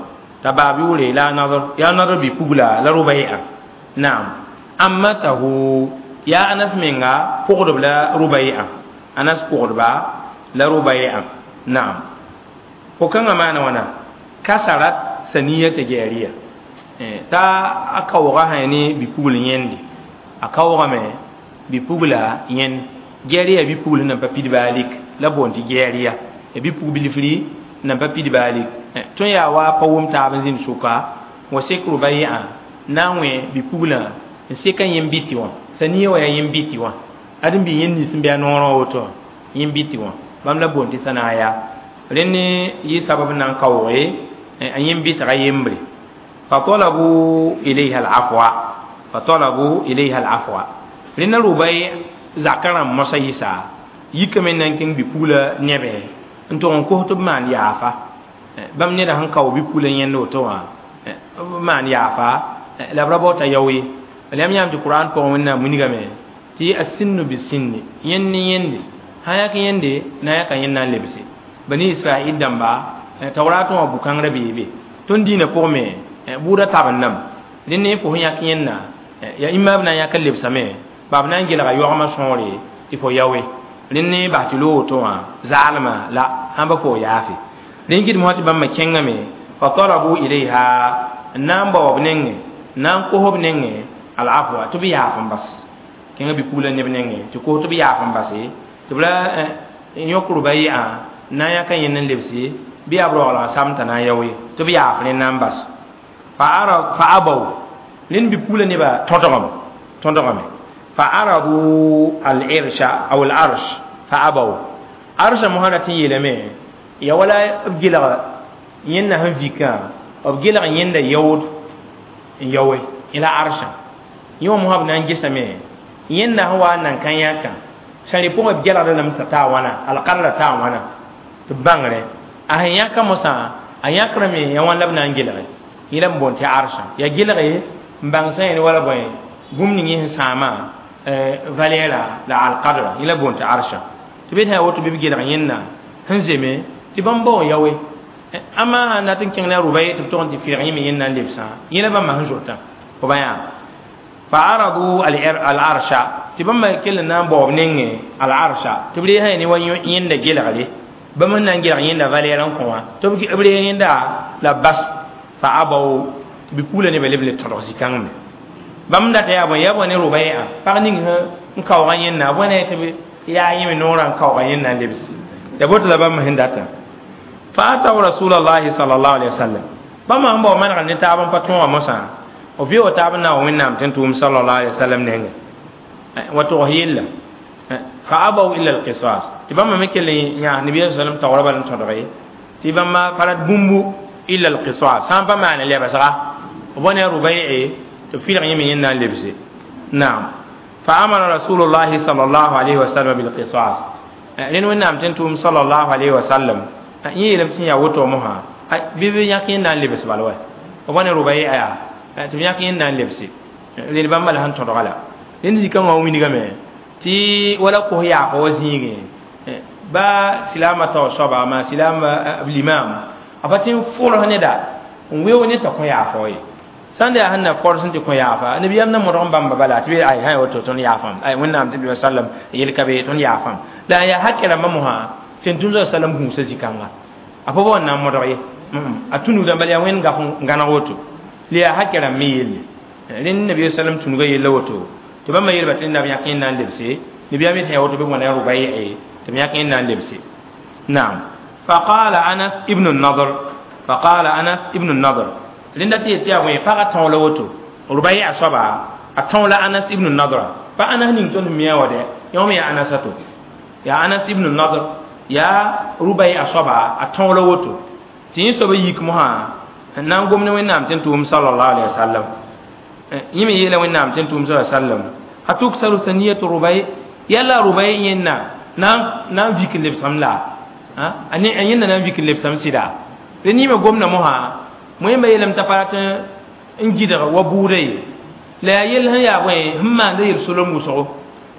t'a baab yʋʋre la Nadr, yaa Nadr bi-pugla la Rubaiya. Naam, ammatahu yaa Anas menga pʋgdb la Rubaiya, Anas pʋgdba la Rubaiya. Naam, pʋkãngã maana wãna kasarat saniyata jariya t'a a kaooga sã ne bi-pugl yẽnde, a kaoogame bi-pugla yẽnd jariya bi-pugl sẽn nan pa pid baalik la boond tɩ jariya ya bi-pug bilfri nan pa pid baalik. Tõe yaa wa pa wʋm taab n zĩnd sʋka wa sek Rubaiya na n wẽ bi-puglã n seka yẽmb bɩtɩ wã, saniya wã yaa yẽmb bɩtɩ wã, ad n bɩ yẽnd nins n bɩ a noorã woto wã yẽmb bɩtɩ wã bãmb la boond tɩ sanaaya. Rẽnd yɩ sabab n na n kaooge a yẽmb bɩtga yembre. Fatalabu ilayha al-afwa, fatalabu ilayha al-afwa. Rẽnd na Rubaiya zakã rãmb mosã yɩsa yikame n na n kẽng bi-pugla nebẽ n tʋg n kos tɩ b maan yaafa bãmb neda sẽn kao bi-pugla yẽnd woto wã b maan yaafa la b ra bao t'a yao ye. La yãmb yãam tɩ Kur'an pʋgẽ Wẽnnaam wilgame tɩ a-sinnu bi-sinni, yẽnd ne yẽnde sã yãk yẽnde na yãka yẽnd na n lebse. Bani Israaɩl dãmba Tawrat wã bu-kãngrã bee be tõnd dĩinã pʋgẽ me bʋʋda tab n nam rẽnd ne fo sẽn yãk yẽnna yaa imma b na n yãk n lebsame baa b na n gelga yoagmã sõore tɩ fo yaoe rẽnd ne bas tɩ loog woto wã zaalmã la sãn pa fo yaafe. Rẽnd gɩdem sã tɩ bãmba kẽngame fa talabu ilayha n na n bao b nengẽ n na n kos b nengẽ al-afwa tɩ b yaaf n bas kẽngã bi-pugla neb nengẽ tɩ kos tɩ b yaaf n base tɩ b ra yõk Rubaiya n na n yãka yẽnd n lebse bɩ yaa b roaglgã sam t'a na n yaoe tɩ b yaaf rẽnd na n bas. Fa abaw rẽnd bi-pugla nebã tõdgame fa aradu al-irsha aw al-arsh fa abaw arsha mosã rat n yeelame ya wala b gelg yẽnda sẽn vikã b gelg yẽnda yaood n yaoe la arsha yẽ wã mosã b na n gesame yẽnda sẽn wa n nan ka yãkã sã rẽ pʋgẽ b gelgda lame t'a taa wãna alqadra taa wãna tɩ b bãngre a sẽn yãka mosã a yãkrame ya wãn la b na n gelge yẽ la n boond tɩ arsã ya gelge n bãng sã yẽne wala bõe bũmb ning yẽ sẽn sãama valɛɛra la alqadra yẽ la boond tɩ arsã tɩ bɩ sã ya woto bɩ b gelg yẽnda sẽn zeme tɩ bãmb bao n yaoe ama sãn dat n kẽng la Rubaiya tɩ b tog n tɩ fɩrg yẽme yẽnd na n lebsã yẽ la bãmba sẽn zotã fo ba yaa fa aradu al-arsha tɩ bãmba kell n na n baoob nengẽ al-arsha tɩ b rees sã ne wa yẽnda gelgre bãmb sẽn na n gelg yẽnda valɛɛr n kõ wã tɩ b rees yẽnda la bas fa abaw tɩ bi-pugla nebã leb le tõdg zĩ-kãng me bãmb data yaa bõe yaa bõe ne rʋba-yã pag ning sẽn kaoogã yẽnna bõe ne tɩ yaa yẽ me noorã n kaooga yẽnna n lebse ya boto la bãmb sẽn data fa ataw rasulallahi sallallahu alaihi wasallam bãmb sẽn bao manegr ne taab n pa tõoga mosã b vɩ taab n na wa wẽnnaam tɩ n tʋʋm sallallahu alaihi wasallam nengẽ wa togs yella fa abaw illa alqisas tɩ bãmb me kell n yãas nabiya sallam taoora bal n tõdge tɩ bãmba pa rat bũmbu illa alqisas sã n pa maan lebsga b wa ne a rubai'e tɩ fɩlg yẽ me yẽnda n lebse naam fa amara rasulullahi sallallahu alaihi wasallam bilqisas rẽnd wẽnnaam tɩ n tʋʋm sallallahu alaihi wasallam yẽ yeelame tɩ yaa woto mosã bɩ b yãk yẽnda n lebs bal wa b wa ne rubai'a yaa tɩ b yãk yẽnda n lebse rẽnd bãmba la sẽn tõdga la rẽnd zĩ-kãngã wã wilgame tɩ wala kos yaaka wa zĩigẽ ba silama tao soaba ma silama limam a pa tɩ n fʋls neda n weoog ne t'a kõ yaafo ye sãn da yaa sẽn na fors n tɩ kõ yaafa nabiyaam na modg n bãmba bala tɩ be ay sã woto tõnd yaafam ay wẽnnaam tɩ sallam yel ka be tõnd yaafam la yaa hakɛ rãmbã mosã tɩ n tũud sallam gũusa zĩ-kãnga a pa wa n na n modg ye a tũnugda bala yaa wẽnd gaf n gãneg woto la yaa hakɛ rãmb me yelle rẽnd nabiya sallam tũnuga yella woto tɩ bãmba yeelba tɩ nab yãk yẽnda n lebse nabiyaam yetɩ yaa woto bɩ wãna rʋba tɩ b yãk yẽnda n lebse naam faqala anas ibnu nadr faqala anas ibnu nadr rẽnda tɩ yetɩ yaa bõe pagã tõog la woto rʋba soaba a tõog la anas ibnu nadra pa anas ning tõnd mia wa dɛ yõ me yaa anasa to yaa anas ibnu nadr yaa rʋba soaba a tõog la woto tɩ yẽ soaba yik mosã n na n gom ne wẽnnaam tɩ n tʋʋm sallallahu alaihi wasallam yẽ me yeela wẽnnaam tɩ n tʋʋm sa sallam a tuksaru saniyatu rubay yalla rubay yẽnna na n vik n lebsem la a yẽnna na n vik n lebsem sɩda rẽ yẽ me gomda mosã moẽmba yeelame t'a pa rat n gɩdg wa buuda ye la yaa yell sẽn yaa bõe sẽn maanda yel-solem wʋsgo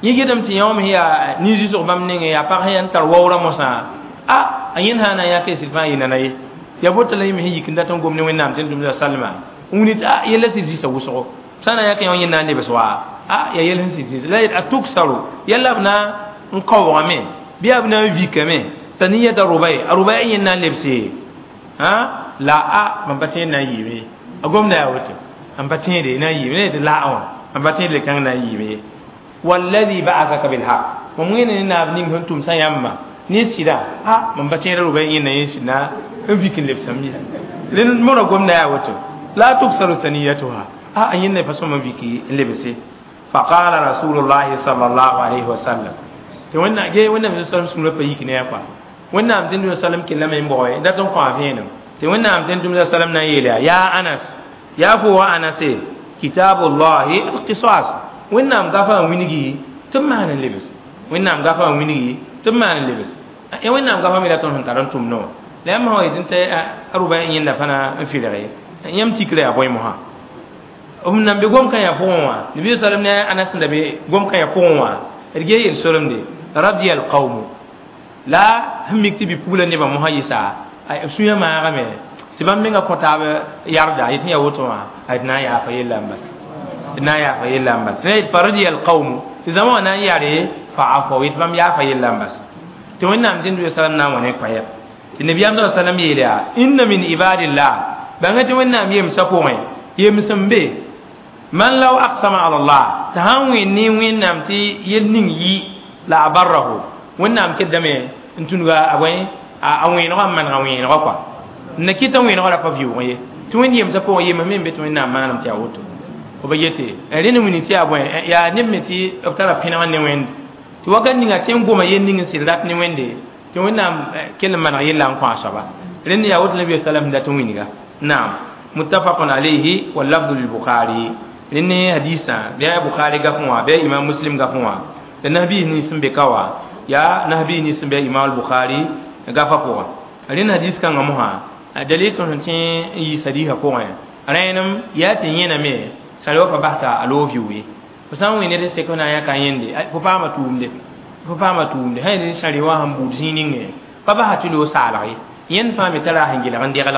yẽ gɩdame tɩ yõ me sẽn yaa nin-zɩsg bãmb nengẽ yaa pag sẽn yaa n tar waoorã mosã a a yẽnd sã na n yãk sɩd fãa yɩ nana ye ya bota la yẽ me sẽn yik n dat n gom ne wẽnnaam tɩ n tʋm sallma n wilg tɩ a yella sɩd zĩsa wʋsgo sã na n yãk yõ yẽnda n lebs wa a yaa yell sẽn sɩd zĩsa la a tuksaru yella b na n kaoogame bɩ yaa b na n vikame t'a niyata rʋba ye a rʋba yẽnda n lebse la a mam pa tẽed na n yiime a gomda yaa woto n pa tẽede na n yiime ne tɩ la a wã n pa tẽed le kãng na n yiime ye walladi ba'athaka bilhaq mam wẽna ne naab ning sẽn tʋm sã yãmba ne sɩda a mam pa tẽeda rʋba yẽnda yẽ sɩd na n vik n lebsame ye rẽnd modã gomda yaa woto la tuksaru saniyatuha a a yẽnda pa sõma viki n lebse faqala rasulullahi sallallahu alaihi wasallam tɩ wẽnna ge wẽnnaam sallam sũurã pa yik ne ya kɔa wẽnnaam tɩ sallam kellame n bɔge dat n kõ a vẽenem tɩ wẽnnaam tɩ n sallam na n yeela yaa anas yaa fo wa anase kitabullahi alqisas wẽnnaam gafa n wilgi tɩ b maan n lebs wẽnnaam gafa n wilgi tɩ b maan n lebs ya wẽnnaam gafa me la tõnd sẽn tar n tʋm no la yãmb sã yetɩ tɩ a rʋba yẽnda fãna n fɩlge yãmb tikrã yaa bõe mosã b nan be gom kã yaa pʋgẽ wã nabi sallam ne anas sẽn da be gom kã yaa pʋgẽ wã d gee yel-solemde radiya alqawmu la sẽn mik tɩ bi-pugla nebã mosã yɩsa b sũyã maagame tɩ bãmb menga kõ taab yarda yetɩ yaa woto wã d na n yaafa yella n bas d na n yaafa yella n bas fa radiya alqawmu tɩ zãma wã na n yare fa afaw yetɩ bãmb yaafa yella n bas tɩ wẽnnaam tɩ n salam na n wa ne koɛɛg tɩ nabiyaam sallam yeela yaa inna min ibadillah bãnga tɩ wẽnnaam yemsã pʋgẽ yems n be man law aqsama ala allah tɩ sãn wẽnd ne wẽnnaam tɩ yel ning yi la abarrahu wẽnnaam kedame n tũnuga a bõe a wẽenegã n manega wẽenegã kɔa n na kɩta wẽenegã ra pa vɩʋʋg ye tɩ wẽnd yemsã pʋgẽ yems me n be tɩ wẽnnaam maanam tɩ yaa woto b yete rẽnd n wilg tɩ yaa bõe yaa neb me tɩ b tara pẽneg ne wẽnd tɩ wakat ninga tɩ n goma yel ning n sɩd rat ne wẽnde tɩ wẽnnaam kell n maneg yella n kõ a soaba rẽnd yaa woto nabi sallam dat n wilga naam muttafaqun alayhi wallafdu lilbukhari rẽnd ne hadisã bɩ yaa bukhari gafẽ wã bɩ imam muslim gafẽ wã la nabiis nins n be ka wã yaa nabiis nins n be imam al-bukhari gafa pʋgã rẽnd hadis kãngã mosã dalil tõs n tẽ n yiis hadisã pʋgẽ rẽenem yaa tɩ yẽname sal wa pa bas t'a a loog vɩʋ ye fo sã n wẽ ned n sek f na n yãka yẽnde fo paama tʋʋmde fo paama tʋʋmde sã yetɩ sãre wã sẽn buud zĩig ningẽ pa basa tɩ loog saalg ye yẽnd fãa me tara sẽn gelg n degl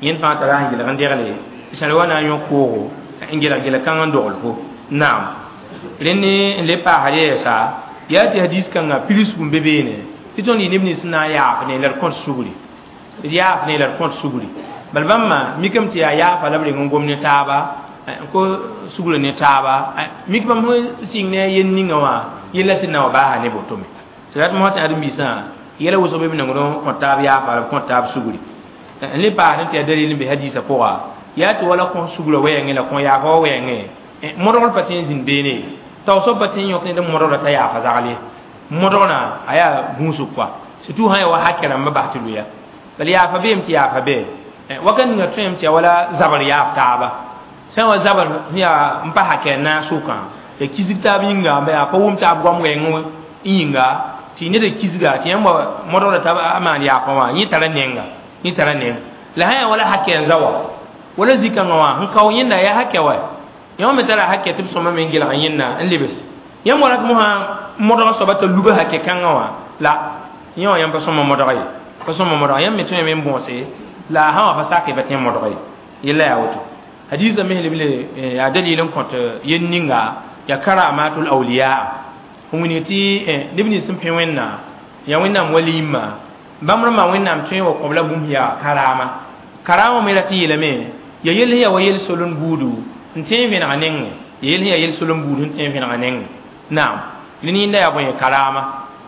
yẽnd fãa tara sẽn gelg n degle sãre wã na n yõk koogo n gelg gel kãng n dogl fo naam rẽnd n le paasd yɛɛsa yaa tɩ hadis kãngã pirsg n be beene tɩ tõnd yɩ neb nins n na n yaaf ne la d kõt sugri d yaaf ne la d kõt sugri Bal bãmba mikame tɩ yaa yaafa la b reng n gom ne taaba n ko sugr ne taaba mik bãmb sẽn sɩng ne a yel ninga wã yella sẽn na wa baasa ne boto me tɩ rat mosã tɩ ãdem-biisã yɛla wʋsg bɩ b nengd n kõ taab yaafa la b kõ taab sugri n le paasd tɩ yaa dalil n be hadiisã pʋga yaa tɩ wala kõ sugrã wɛɛngẽ la kõ yaafa wã wɛɛngẽ modgr pa tɩ n zĩnd beene taoosb pa tɩ n yõk ned n modgra t'a yaafa zagl ye modgrã a yaa gũusg kɔa surtout sã ya wa hakɛ rãmbã bas tɩ loya bal yaafa beem tɩ yaafa bee wakat ninga tõem tɩ ya wala zabr yaaf taaba sã wa zabr sẽn yaa n pa hakɛ n naas sʋkã ya kisg taab yĩnga n yaa pa wʋm taab goam wɛɛng n yĩnga tɩ ned n kisga tɩ yãmb modgda t'a maan yaafa wã yẽ tara nenga yẽ tara neng la sã yaa wala hakɛ n za wa wala zĩ-kãngã wã n kao yẽnda yaa hakɛ wa yãmb me tara hakɛ tɩ b sõma me n gelg yẽnna n lebs yãmb warat mosã modg soaba t'a luba hakɛ kãngã wã la yẽ wã yãmb pa sõma modg ye pa sõma modg yãmb me tõe me n bõose la sã wã pa sak pa tẽ modg ye yella yaa woto hadiisã me lebl yaa dalil n kõt yel ninga ya karamatul awliya f wilg tɩ neb nins sẽn pẽ wẽnna yaa wẽnnaam wali yĩmma bãmb rãmbã wẽnnaam tõe n wa kõb la bũmb yaa karama karama me rat n yeelame ya yell sẽn yaa wa yel-solem buudu n tẽ n vẽnega nengẽ ya yell sẽn yaa yel-solem buud n tẽ n vẽnega nengẽ naam rẽnd yẽnda yaa bõe karama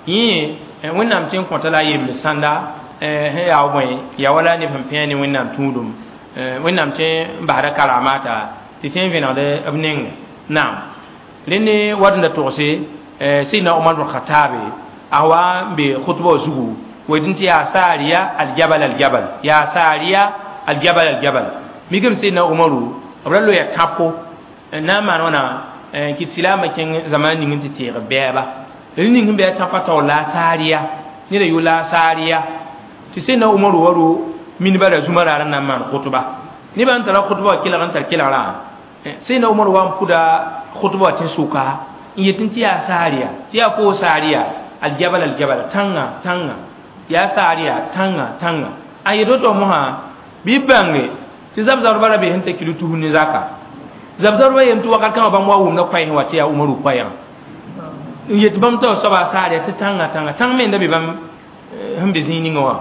yẽ wẽnnaam tẽ n kõta la a yemb sãnda sẽn yaa bõe yaa wala neb sẽn pẽ ne wẽnnaam tũudum wẽnnaam tẽ n basda karamata tɩ tẽ n vẽnegd b nengẽ naam rẽnd wat n da togse Seydina Omar bin Khattabe a wa n be khutba wã zugu wetɩ tɩ yaa saariya aljabal aljabal yaa saariya aljabal aljabal mikame Seydina Omaru b ra loya tãpo n na n maan wãna n kɩt silaamã kẽng zamaan ning n tɩ teeg bɛɛba rẽ ning sẽn be a tãpã taoor la a saariya neda yʋ la a saariya tɩ Seydina Omaru wa ro minba ra zũma raar n na n maan khutba nebã n tara khutba wã kelg n tar kelgrã Seydina Omaru wa n pʋda khutba wã tẽ sʋka n yetɩ tɩ yaa saariya tɩ yaa foo saariya aljabal aljabal tãngã tãngã yaa saariya tãngã tãngã a yet woto mosã bɩ b bãnge tɩ zab-zabdbã ra be sẽn ta kilo tus ne zaka zab-zabdbã yem tɩ wakat kãngã bãmb wa wʋmda koɛɛsẽ wa tɩ yaa Umaru koɛɛgã n yet bãmb t'a soaba a saariya tɩ tãngã tãngã tãng me n da be bãmb sẽn be zĩig ninga wã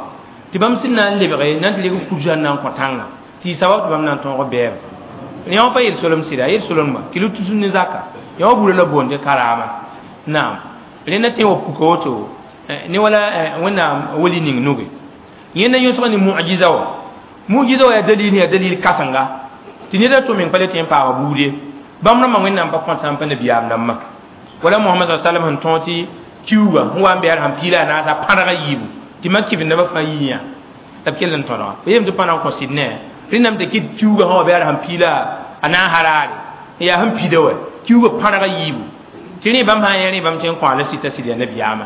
tɩ bãmb sẽn na n lebge na n tɩ leb kubzã n na n kõ tãngã tɩ y sabab tɩ bãmb na n tõog bɛɛb yã wã pa yel-solem sɩda yel-solemba kilo tus ne zaka yã wã burã la boonde karama naam rẽnda tẽ wa puka woto ne wala wẽnnaam wali ning nuge yẽnda yõsg ne mujiza wa mujiza wa yaa dalil yaa dalil kãsenga tɩ ned a tʋm n pa le tẽ n paama buud ye bãmb rãmbã wẽnnaam pa kõt sã n pa nabiyaam dãmbã wala Mohamad sa sallam sẽn tõog tɩ kiuuga sẽn wa n be yaa sãn piila a naasa pãrga yiibu tɩ mak kibindãmbã fãa yii yã la b kell n tõdga b yem tɩ pãnag kõ sɩd ne rẽndame tɩ kɩt kiuuga sã wa be yaa sãn piila a na n haraare n yaa sẽn pida wa kiuuga pãrga yiibu tɩ rẽ bãmb sã n yaa rẽ bãmb tẽ n kõ la sɩta sɩd yaa nabiyaamã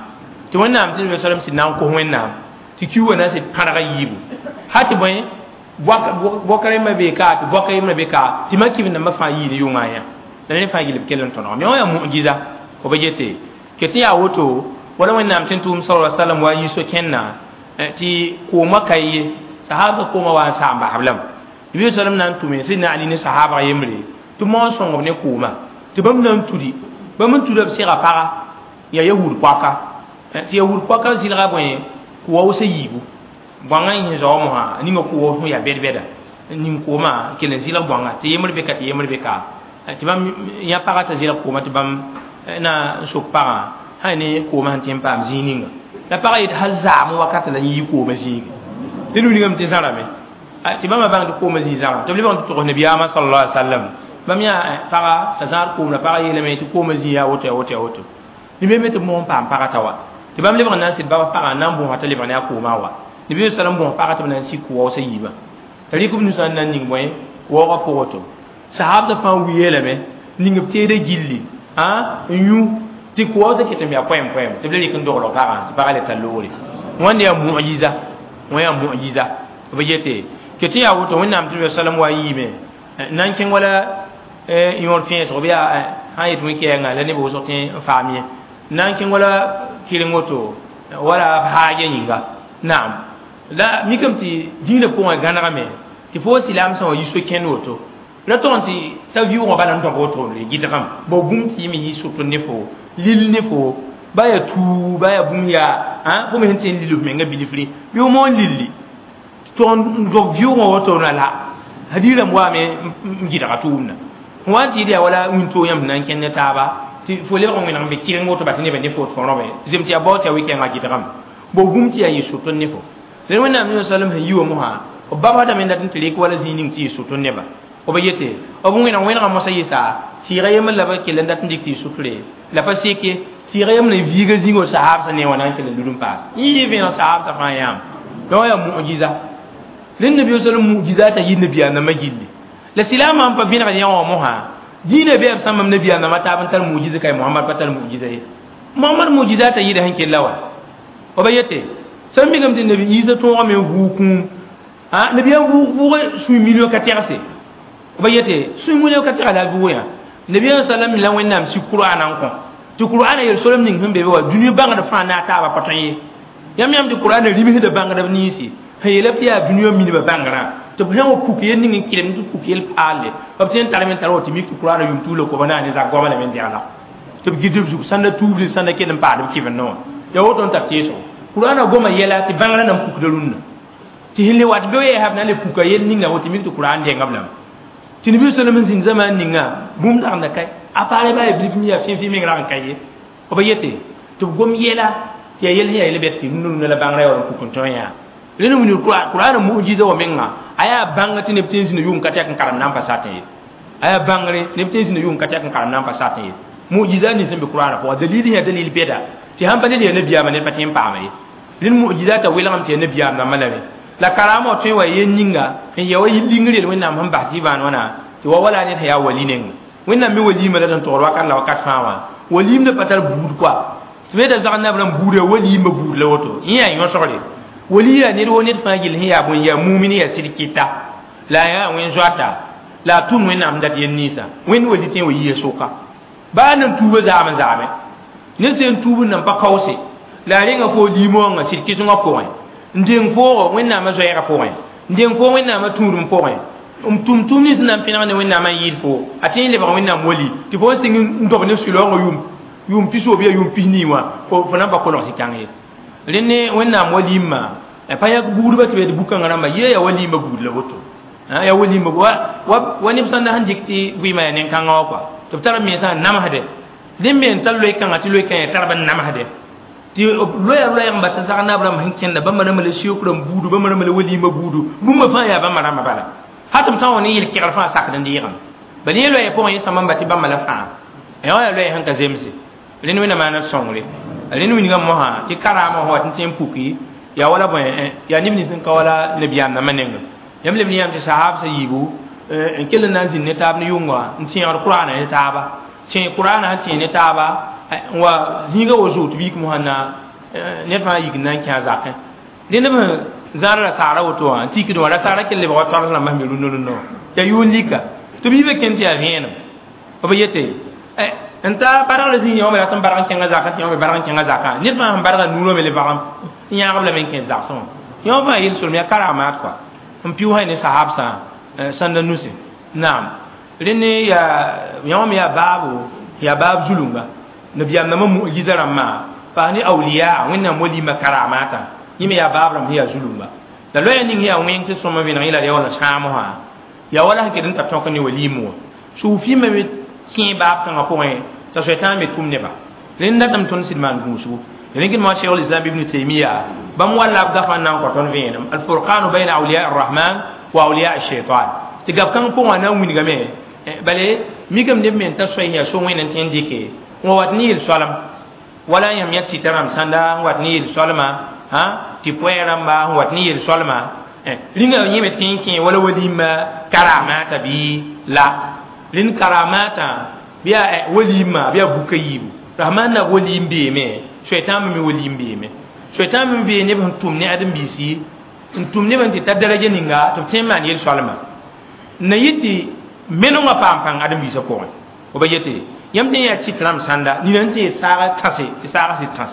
tɩ wẽnnaam tɩ nabi sallam sɩd na n kos wẽnnaam tɩ kiuuga na n sɩd pãrga yiibu ha tɩ bõe bɔka rẽmbã bee ka tɩ bɔka yembrã be ka tɩ mak kibindãmbã fãa yii ne yʋngã yã la rẽ fãa yel b kell n tõdgame wã yaa mujiza b yete ke tɩ yaa woto wala wẽnnaam tɩ n tʋʋm sala sallam wa yi so-kẽnna tɩ koomã ka ye sahaabã koomã wa n saam basb lame nabi sallam na n tʋme Sidna Ali ne sahaabã yembre tɩ moon sõngb ne koomã tɩ bãmb na n tudi bãmb n tuda b sega paga yaa yahud poaka tɩ yahud poaka zɩlga bõe kʋwa wʋsa yiibu bõangã yẽ zao mosã ninga kʋwa sẽn yaa bɛd-bɛda ning koomã kell n zɩlg bõanga tɩ yembr be ka tɩ yembr be ka tɩ bãmb yã paga t'a zɩlg koomã tɩ bãmb na n sok pagã sã ne koomã sẽn tẽ n paam zĩig ninga la pagã yet hal zaam wakat la yɩ koomã zĩige dẽnd wilgame tɩ zãrame tɩ bãmba bãng tɩ koomã zĩig zãra tɩ b lebg n tɩ togs nabiyaamã sallallahu alaihi wasallam bãmb yã paga t'a zãad koom la pagã yeelame tɩ koomã zĩig yaa woto yaa woto yaa woto neb me tɩ b moon paam pagã t'a wa tɩ bãmb lebg n na n sɩd baba pagã n na n bõosa t'a lebg ne a koomã wa nabi sallam bõos pagã tɩ b na n sik kʋwa wʋsa yiibã t'a rɩk b nusã n na n ning bõe waoogã pʋgẽ to sahabdã fãa wi yeelame ning b teedã gilli n yũ tɩ kʋwa wʋsã ket n yaa poɛm poɛm tɩ b le rɩk n dogl pagã tɩ pagã le tar loore wãnd yaa mujiza wã yaa mujiza b yete ke tɩ yaa woto wẽnnaam tɩ sallam wa yiime na n kẽng wala yõor fẽesg bɩ yaa sã n yet wẽn-kɛɛngã la neb wʋsg tẽ n faam ye na n kẽng wala kɩreng woto wala haaja yĩnga naam la mikame tɩ zĩigdã pʋgẽ gãnegame tɩ fo silaam sã wa yi so-kẽnd woto la tog n tɩ t'a vɩʋʋgã bala n tõg woto re gɩdgame bao bũmb tɩ yɩme yɩ sʋt ne fo lil ne fo ba yaa tuu ba yaa bũmb yaa fo me sẽn tɩ n lil f menga bilfre bɩ f moon lilli To n dog vɩʋʋgã woto na la hadiirãmb waame n gɩdga tʋʋmdã n wa n tɩ yaa wala wĩntoog yãmb sẽn na n kẽnd ne taaba tɩ fo lebg n wẽneg n be kɩreng woto ba tɩ nebã ne fo tɩ fo rõbe zem tɩ yaa bao tɩ yaa wɩ-kɛngã gɩdgame bo gũm tɩ yaa yɩ sʋt ne fo rẽnd Wẽnnaam nabi sallam sẽn yi wa mosã b babsdame n dat n tɩ rɩk wala zĩig ning tɩ yɩ sʋt neba b yete b wẽneg wẽnegã mosã yɩsa sɩɩga yembr la b kell n dat n dɩk tɩ yɩ sʋtre la pa sek ye sɩɩga yembr n viiga zĩigã sahabsã ne wã na n kell n lud n paas yẽ yɩ vẽeneg sahabsã fãa yãam donc yaa mujiza rẽnd nabi sallam mujiza t'a yɩ nabiyaam nambã gilli la silaamã n pa vẽnegd yã wã mosã dĩinã bɩ b sãmbam nabiyaam nambã taab n tar mujiza ka Muhammad pa tar mujiza ye Muhammad mujiza t'a yɩɩda sẽn kella wa b yete sẽn mikame tɩ nabi Isa tõogame n vʋʋg kũum nabiyaam vʋʋg sũy million ka tɛgse b yete sũy million ka tɛga la a vʋʋg yã nabiyaam sallam la Wẽnnaam sig Kur'ana n kõ tɩ Kur'ana yel-solem ning sẽn be be wa dũni bãngd fãa na a taaba pa tõe ye yãmb yãmb tɩ Kur'ana rimsda bãngdb ninsi sẽn yeela tɩ yaa dũniyã minimã bãngrã tɩ b sã wa puk yel ning n kɩrem tɩ puk yel paalle b tõe n tarame n tar wa tɩ mik tɩ Kur'ana yʋm tuula koba na ne zak goama lame n dẽgla tɩ b gɩd b zug sãnda tuubd sãnda kell n paad b kɩvendẽ wã yaa woto n tar teesgo Kur'ana goma yɛla tɩ bãngrã nan pukda rũnnã tɩ sẽn le wat bɩ yɛɛsa b na n le puka yel ninga woto mik tɩ Kur'an denga b lame tɩ nabi sallam n zĩnd zamaan ninga bũmb dag n da kae a paare baa ya bilf mi yaa fẽn-fẽ meng rag n ka ye b yete tɩ b gom yɛla tɩ yaa yel sẽn yaa yel bɛt tɩ rũnnã rũnnã la bãngrã ya wa n puk n tõe yaa rẽnd n wilg Kur'an mujiza wa menga a yaa bãnga tɩ neb tɩ n zĩna yʋʋm ka tɛk n karem na n pa satẽ ye a yaa bãngre neb tɩ n zĩna yʋʋm ka tɛk n karem na n pa satẽ ye mujiza nins sẽn be Kur'anã pʋgã dalil sẽn yaa dalil bɛda tɩ sãn pa ned yaa nabiyaamã ned pa tẽ n paama ye rẽnd mujiza t'a welgame tɩ yaa nabiyaam rãmbã lame la karama tõe wa yen ninga sẽn ya wa lingr yel Wẽnnaam sẽn bas tɩ vãan wãna tɩ wa wala ned sẽn yaa wali neng Wẽnnaam me waliimã la d n togd wakat la wakat fãa wã waliimdã pa tar buud koa tɩ me da zag nab rãmb buud yaa waliimã buud la woto yẽ yaa yõsgre wali yaa ned wo ned fãa gill sẽn yaa bõe yaa mumin yaa sɩd kɩta la a yaa wẽn zoata la a tʋm Wẽnnaam dat yel ninsã Wẽnd wali tẽ wa yia sʋka baa nan tuubã zaame zaame ned sẽn tuub n nan pa kaoose la a renga fo liimã wãngã sɩd kɩsengã pʋgẽ n deng foogo Wẽnnaamã zoɛɛgã pʋgẽ n deng foo Wẽnnaamã tũudem pʋgẽ n tʋm tʋʋm nins na n pẽneg ne Wẽnnaamã n yɩɩd fo a tẽ n lebg Wẽnnaam wali tɩ fo n sɩng n dob ne sʋ-laoongã yʋm yʋʋm pisob yaa yʋʋm pisnii wã fo na n pa kolg zĩ-kãng ye rẽnd ne Wẽnnaam waliimã pa yãk buudbã tɩ b bukãngã rãmba yɩ yaa waliimã buud la woto yaa waliimã wa neb sãnda sẽn dɩk tɩ vɩɩmã yaa nen-kãngã wã kɔa tɩ b tar b mensã n namsdɛ dẽ me n tar loe-kãngã tɩ loe-kãngã tar b n namsdɛ tɩ loɛɛ loɛɛg n bas tɩ zag naab rãmb sẽn kẽnda bãmba rãmba la siook rãmb buudu bãmba rãmba la waliimã buudu bũmba fãa yaa bãmba rãmba bala hat b sã n wa ne yel-kegr fãa sakd n deegame bal yẽ loɛɛ pʋgẽ yẽ sãmba n ba tɩ bãmba la fãa yã yaa loɛɛ sẽn ka zemse rẽnd Wẽnnaam maana sõngre rẽnd wilgã mosã tɩ karaamã sã wat n tẽ n puki yaa wala bõe yaa neb nins n ka wala nabiyaam nambã nengẽ yãmb leb ne yãmb tɩ sahabsã yiibu n kell n na n zĩnd ne taab ne yʋnga wã n tẽegd Kur'anã ne taaba tẽeg Kur'anã sẽn tẽeg ne taaba n wa zĩigã wa zoot biik mosã na ned fãa yik n na n kẽ a zakẽ rẽnd b sẽn zãad rasaara woto wã n tikd wã rasaara kell lebg wa toars rãmbã sẽn be rũndã rũndã wã yaa yʋʋn lika tɩ b yiibã kẽnd tɩ yaa vẽenem b yete n ta barg la zĩig yã rat n barg n kẽngã zakã tɩ yã me barg n kẽngã zakã ned fãa sẽn barga nuurã me le vagem n yãagb lame n kẽ zagsẽ wã yã fãa yel-solem yaa karamaat kɔa n pɩʋʋsã ne sahabsã sãnda nusi naam rẽnd yaa yã wã me yaa baabo yaa baab zulunga nabiyaam nambã mujiza rãmbã paas ne awliya Wẽnnaam waliimã karamata yẽ me yaa baab rãmb sẽn yaa zulunga la loɛɛ ning sẽn yaa wẽng tɩ sõma vẽneg yẽla yaa wala sãam wã yaa wala sẽn ket n tar tõk ne waliim wã suufimã me kẽ baab kãngã pʋgẽ t'a soɛtã me tʋm neba rẽnd datame tõnd sɩd maan gũusgo rẽnd ma Cheikh l'Islam Ibn Taymiya bãmb walla b gafa n na n kõ tõnd vẽenem alfurqanu bayna awliya arrahman wa awliya alshaitan tɩ gab kãng pʋgẽ wã na n wilgame bale mikame neb me n tar soay yaa so-wẽnd n tõe n dɩke n wa wat ne yel-soalem wala yãmb yã tɩta rãmb sãnda n wat ne yel-soalma tɩ poɛ rãmba n wat ne yel-soalma rĩnga yẽ me tõe n kẽ wala waliimã karamata bɩ la rẽnd karamata bɩ yaa waliimã bɩ yaa buka yiibu rahman na waliim beeme soɛtãam me waliim beeme soɛtãam me bee neb sẽn tʋm ne ãdem-biisi n tʋm neb n tɩ tar daraja ninga tɩ b tõe n maan yel-soalma n na yɩ tɩ menengã paam pãng ãdem-biisã pʋgẽ b yete yãmb tẽ yaa tɩt rãmb sãnda nina n tɩ saaga tãse tɩ saaga sɩd tãs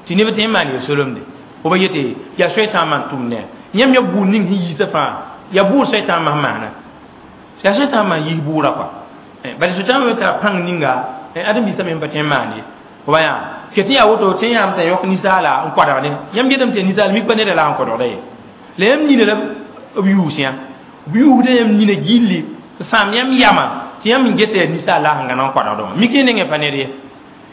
tɩ neb tẽ n maan yel-solemde b yete yaa soɛtãam n tʋm ne yãmb ya buud ning sẽn yiisã fãa yaa buud soɛtãam sẽn maana yaa soɛtãam n yiis bʋʋra kɔa bala soɛtãam me tara pãng ninga ãdem-biisã me n pa tõe n maan ye b yaa ket yaa woto tẽ yãam t'a yõk ninsaala n koadgde yãmb getame tɩ ninsaal mik pa neda la n kodgda ye La yãmb nina la b yʋʋs yã b yʋʋsda yãmb nina gilli tɩ sãam yãmb yama tɩ yãmb n get yaa ninsaal la sẽn gãneg n koadgdã wã mik yẽ nengẽ pa ned ye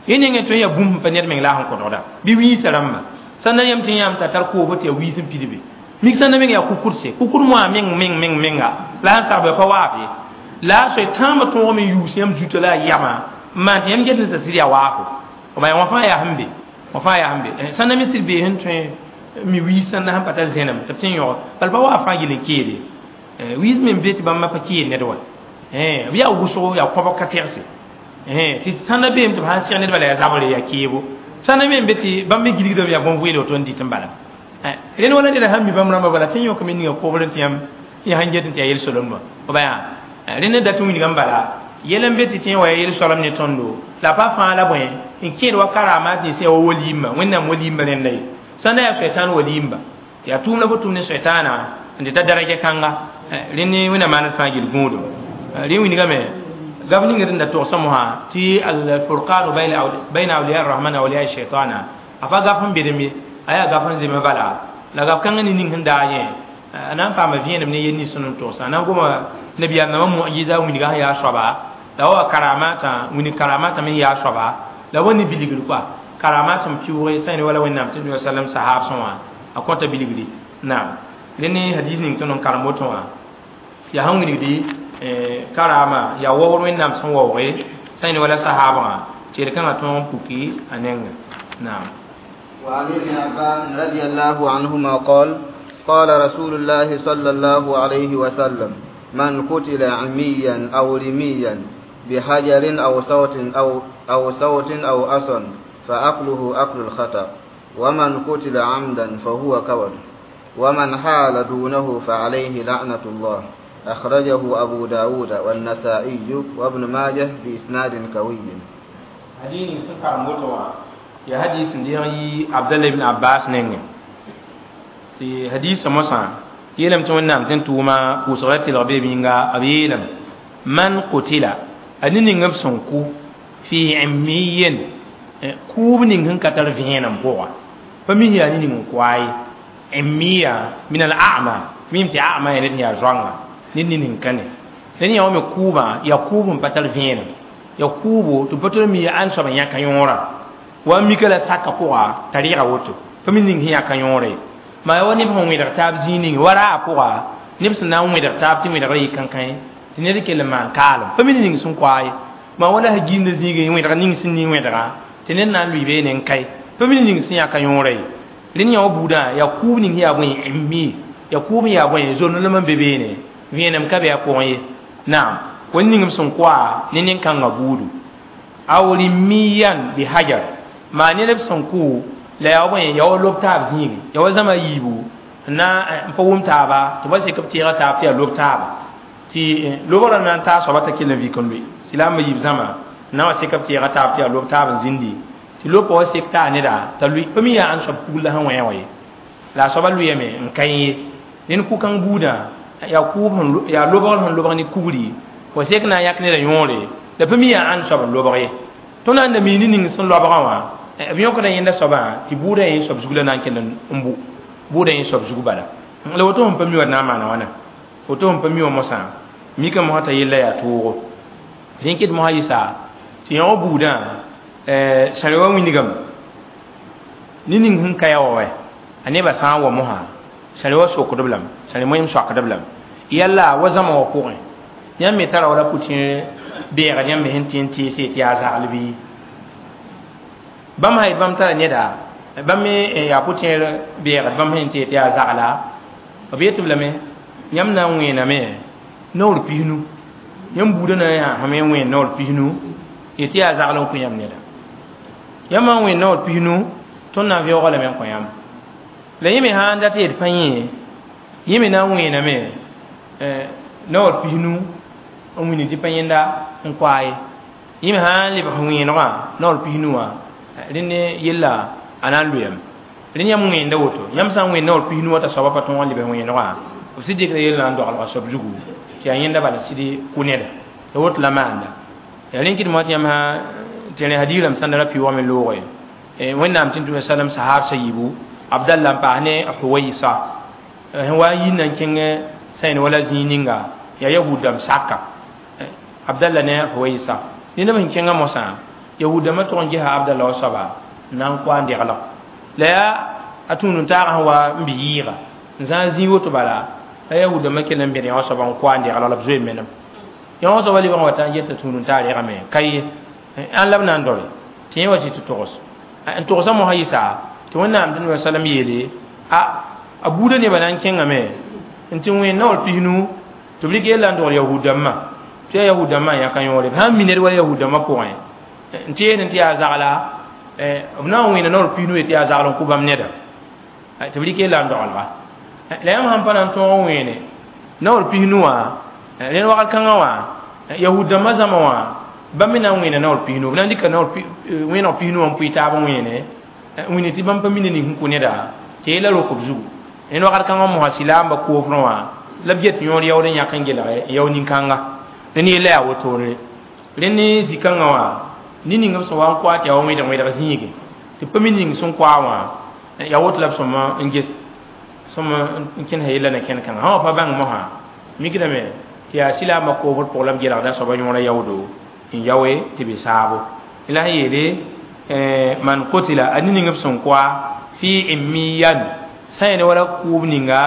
yẽ nengẽ tõe n yaa bũmb sẽn pa ned meng la sẽn kodgda bɩ wiisã rãmba sãn na yãmb tɩ yãmb t'a tar koobr tɩ yaa wiis n pidbe mik sãn na meng yaa kukudse kukud moã meng meng meng menga la sẽn sagbe pa waaf ye la a soe tãambã tõogame n yuus yãmb zutã la a yama n maan tɩ yãmb get n t'a sɩd yaa waafo b wã fãa yaa sẽn be wã fãa yaa sẽn be sãn na me sɩd bee sẽn tõe mi wiis sãn na sẽn pa tar zẽnem tɩ b tẽ n yõg bala pa waaf fãa gill n keede wiis me n be tɩ bãmba pa keed ned wa b yaa wʋsgo yaa kõbg ka tɛgse tɩ sãn na beem tɩ b sãn sɩg nedba la yaa zabre yaa keebo sãn na me n be tɩ bãmb me gilgdame yaa bõn-vɩɩl woto n dɩt n bala rẽnd wala neda sãn mi bãmb rãmbã bala tɩ yõkame ninga kobr tɩ yãmb yã sãn get n tɩ yaa yel-solemdã b yaa rẽnd dat n wilgame bala yɛl n be tɩ tẽ wa yaa yel-soalem ne tõndo la pa fãa la bõe n kẽed wa karama tɩ sẽn wa waliimba wẽnnaam waliimba rẽnda ye sãn na yaa soɛtãan waliimba yaa tʋʋm la fo tʋm ne soɛtãana n tɩ ta daraja kãnga rẽnd wẽnnaam maand fãa gill gũudum rẽ wilgame gaf ning rẽnda togsã mosã tɩ alfurqanu bayna awliya arrahman wa awliya shaitana a pa gaf n bedem ye a yaa gaf n zems bala la gaf kãngã ne ning sẽn daa yẽ a na n paama vẽenem ne yel nins sẽn n togsã a na n goma nabiyaam nambã mujiza wilga sẽn yaa soaba la wa karamatã wini karamatã me yaa soaba la wa ne bilgr koa karamat n pɩʋʋge sã n wala wẽnnaam tɩ sallam sahaab sõ wã a kõta bilgri naam rẽ ne hadis ning tõnd n karem woto wã yaa sẽn wilgdi karama yaa waoor wẽnnaam sẽn waooge sã n wala sahaabgã tɩ yel-kãngã tõog n puki a nengẽ naam. وعن ابن عباس رضي الله عنهما قال قال رسول الله صلى الله عليه وسلم من قتل عميا أو رميا بحجر أو صوت أو صوت أو أصل فأكله أكل الخطأ ومن قتل عمدا فهو كود ومن حال دونه فعليه لعنة الله. أخرجه أبو داود والنسائي وابن ماجه بإسناد قوي. حديث سكر موتوا يا حديث دي عبد الله بن عباس نين في حديث موسى يلم تمنام تنتوما وصغت الغبي بينغا أبيلم من قتل أنني نفسنكو في عميين كوب نين كتر فينا بوا فمن هي أنني نكواي عمية من الأعمى ميم تي أعمى يعني يا زوانغا nit nin kane ned yã wa me kʋʋbã yaa kʋʋb n pa tar vẽenem yaa kʋʋbo tɩ pa tʋl mi yaa ãn soab n yãka yõorã wa mika la saka pʋga t'a rɩɩga woto pa mi ning sẽn yãka yõore maa wa neb sẽn wẽdg taab zĩig ning wa raa pʋga neb sẽn na n wẽdg taab tɩ wẽdgrã yɩ kãnkãe tɩ ned kell n maan kaalem pa mi ning sẽn koa ye maa wala sã gĩinda zĩigẽ wẽdg ning sẽn ning wẽdgã tɩ ned na n lʋɩ beene n kae pa mi ning sẽn yãka yõora ye rẽnd yã wa buudã yaa kʋʋb ning sẽn yaa bõe mi yaa kʋʋb n yaa bõe zolnlem n be beene vẽenem ka be a pʋgẽ ye naam wa ningem sẽn koa ne nin-kãngã buudu aw rimiyan bi hajar maa ned b sẽn kʋ la yaa bõe yaa wa lob taab zĩigi yaa wa zãma yiibu na n pa wʋm taaba tɩ ba sek b tẽega taab tɩ yaa lob taaba tɩ lobgrã na n taa soaba t'a kell n vik n loe silaambã yiib zãma na wa sek b tẽega taab tɩ yaa lob taab n zĩndi tɩ lobpa wa sek taa neda t'a lʋɩ pa mi yaa ãn soab kugl la sẽn wẽ wã ye la a soaba lʋyame n ka yẽ ye ned kʋ-kãng buudã yaa kʋʋb yaa lobgr sẽn lobg ne kugri wa sek na n yãk neda yõore la pa mi yaa ãn soab n lobg ye tõnd na n da mi ne ning sẽn lobgã wã b yõkda yẽnda soabã tɩ buudã yẽ soab zug la na n kell n bʋ buudã yẽ soab zug bala la woto sẽn pa mi wã na n maana wãna woto sẽn pa mi wã mosã mika mosã t'a yella yaa toogo rẽ ket mosã yɩsa tɩ yõ buudã sãre wa wĩndgame ne ning sẽn ka ya wa wɛ a nebã sã n wa mosã sãre wa sokdb lame sãre moẽm soakdb lame yalla wa zãma wã pʋgẽ yãmb me tara wala pʋtẽer beegd yãmb me sẽn tẽ n teese tɩ yaa zagl bɩ bãmb sã yet bãmb tara neda bãmb me yaa pʋtẽer beegd bãmb sẽn tee tɩ yaa zagla b yetb lame yãmb na n wẽename naoor pisnu yãmb buudã na n yaa sãm n wẽen naoor pisnu yetɩ yaa zagl n kõ yãmb neda yãmb n wẽen naoor pisnu tõnd na n vẽoogã lame n kõ yãmb la yẽ me sã n dat yet pa yẽ yẽ me na n wẽename naoor pisnu n wilg tɩ pa yẽnda n koa ye yẽ me sã n lebg wẽenegã naoor pisnu wã rẽnd yella a na n lʋyame rẽnd yãmb wẽenda woto yãmb sã n wẽnd naoor pisnu wã t'a soaba pa tõog n lebg wẽenegã b sɩd dɩkda yell na n doglga soab zugu tɩ yaa yẽnda bala sɩd kʋ neda la woto la maanda yaa rẽn kɩt mosã tɩ yãmb sã tɩ rẽ hadiirame sãn da ra pɩʋʋgame loogẽ wẽnnaam tɩ tʋ sallam sahaab sa yiibu abdallah n paas ne huwaisa Sẽn wa n yĩnda n kẽng sãen wala zĩig ninga yaa yahud dãmb saka Abdallah ne a Huwaisa ned b sẽn kẽngã mosã yahud dãmbã tʋg n gesa Abdallah wa soaba n na n kʋa n degl la yaa a tũud n taagã sẽn wa n bɩ yɩɩga n zãag zĩig woto bala la yahud dãmbã kell n bẽd yã wa soaba n kʋa n degl la b zoe menem yã wã soaba lebg n wa t'a n yeta tũud n taag regame ka ye ãn la b na n dore tɩ yẽ wa tɩ tɩ togs n togsã mosã yɩsa tɩ Wẽnnaam dĩnã salam yeele a buudã nebã na n kẽngame n tɩ wẽen naoor pisnu tɩ b rɩk yella n dogl yahud dãmbã tɩ yaa yahud dãmbã n yãka yõore b sãn mi ned wala yahud dãmbã pʋgẽ n tɩ yeelẽ tɩ yaa zagla b na n wẽena naoor pisnu ye tɩ yaa zagl n kʋ bãmb neda tɩ b rɩk yella n dogelga la yãmb sãn pa na n tõog n wẽene naoor pisnu wã rẽnd wakat kãngã wã yahud dãmbã zãma wã bãmb me na n wẽena naoor pisnu b na n dɩka naoor wẽneg pisnu wã n pʋɩ taab n wẽene wĩne tɩ bãmb pa mina ning sẽn kʋ neda tɩ yella rok b zugu rẽnd wakat kãngã mosã silaamba koofrẽ wã la b get yõor yaood n yãk n gelge n yao nin-kãnga rẽnd yella yaa wotone rẽnd ne zĩ-kãngã wã ne ning b sẽn wa n koa tɩ yaa wa wẽdg wẽdg zĩige tɩ pa mi ning sẽn koa wã yaa woto la b sõma n ges sõma n kẽnesa yella na kẽn-kãngã sã wã pa bãng mosã mikdame tɩ yaa silaambã koofr pʋg la b gelgda soaba yõora yaoodo n yaoe tɩ bɩ saabo la sẽn yeele man qutila a ne ning b sẽn koa fi immiyan sã wala kʋʋb ninga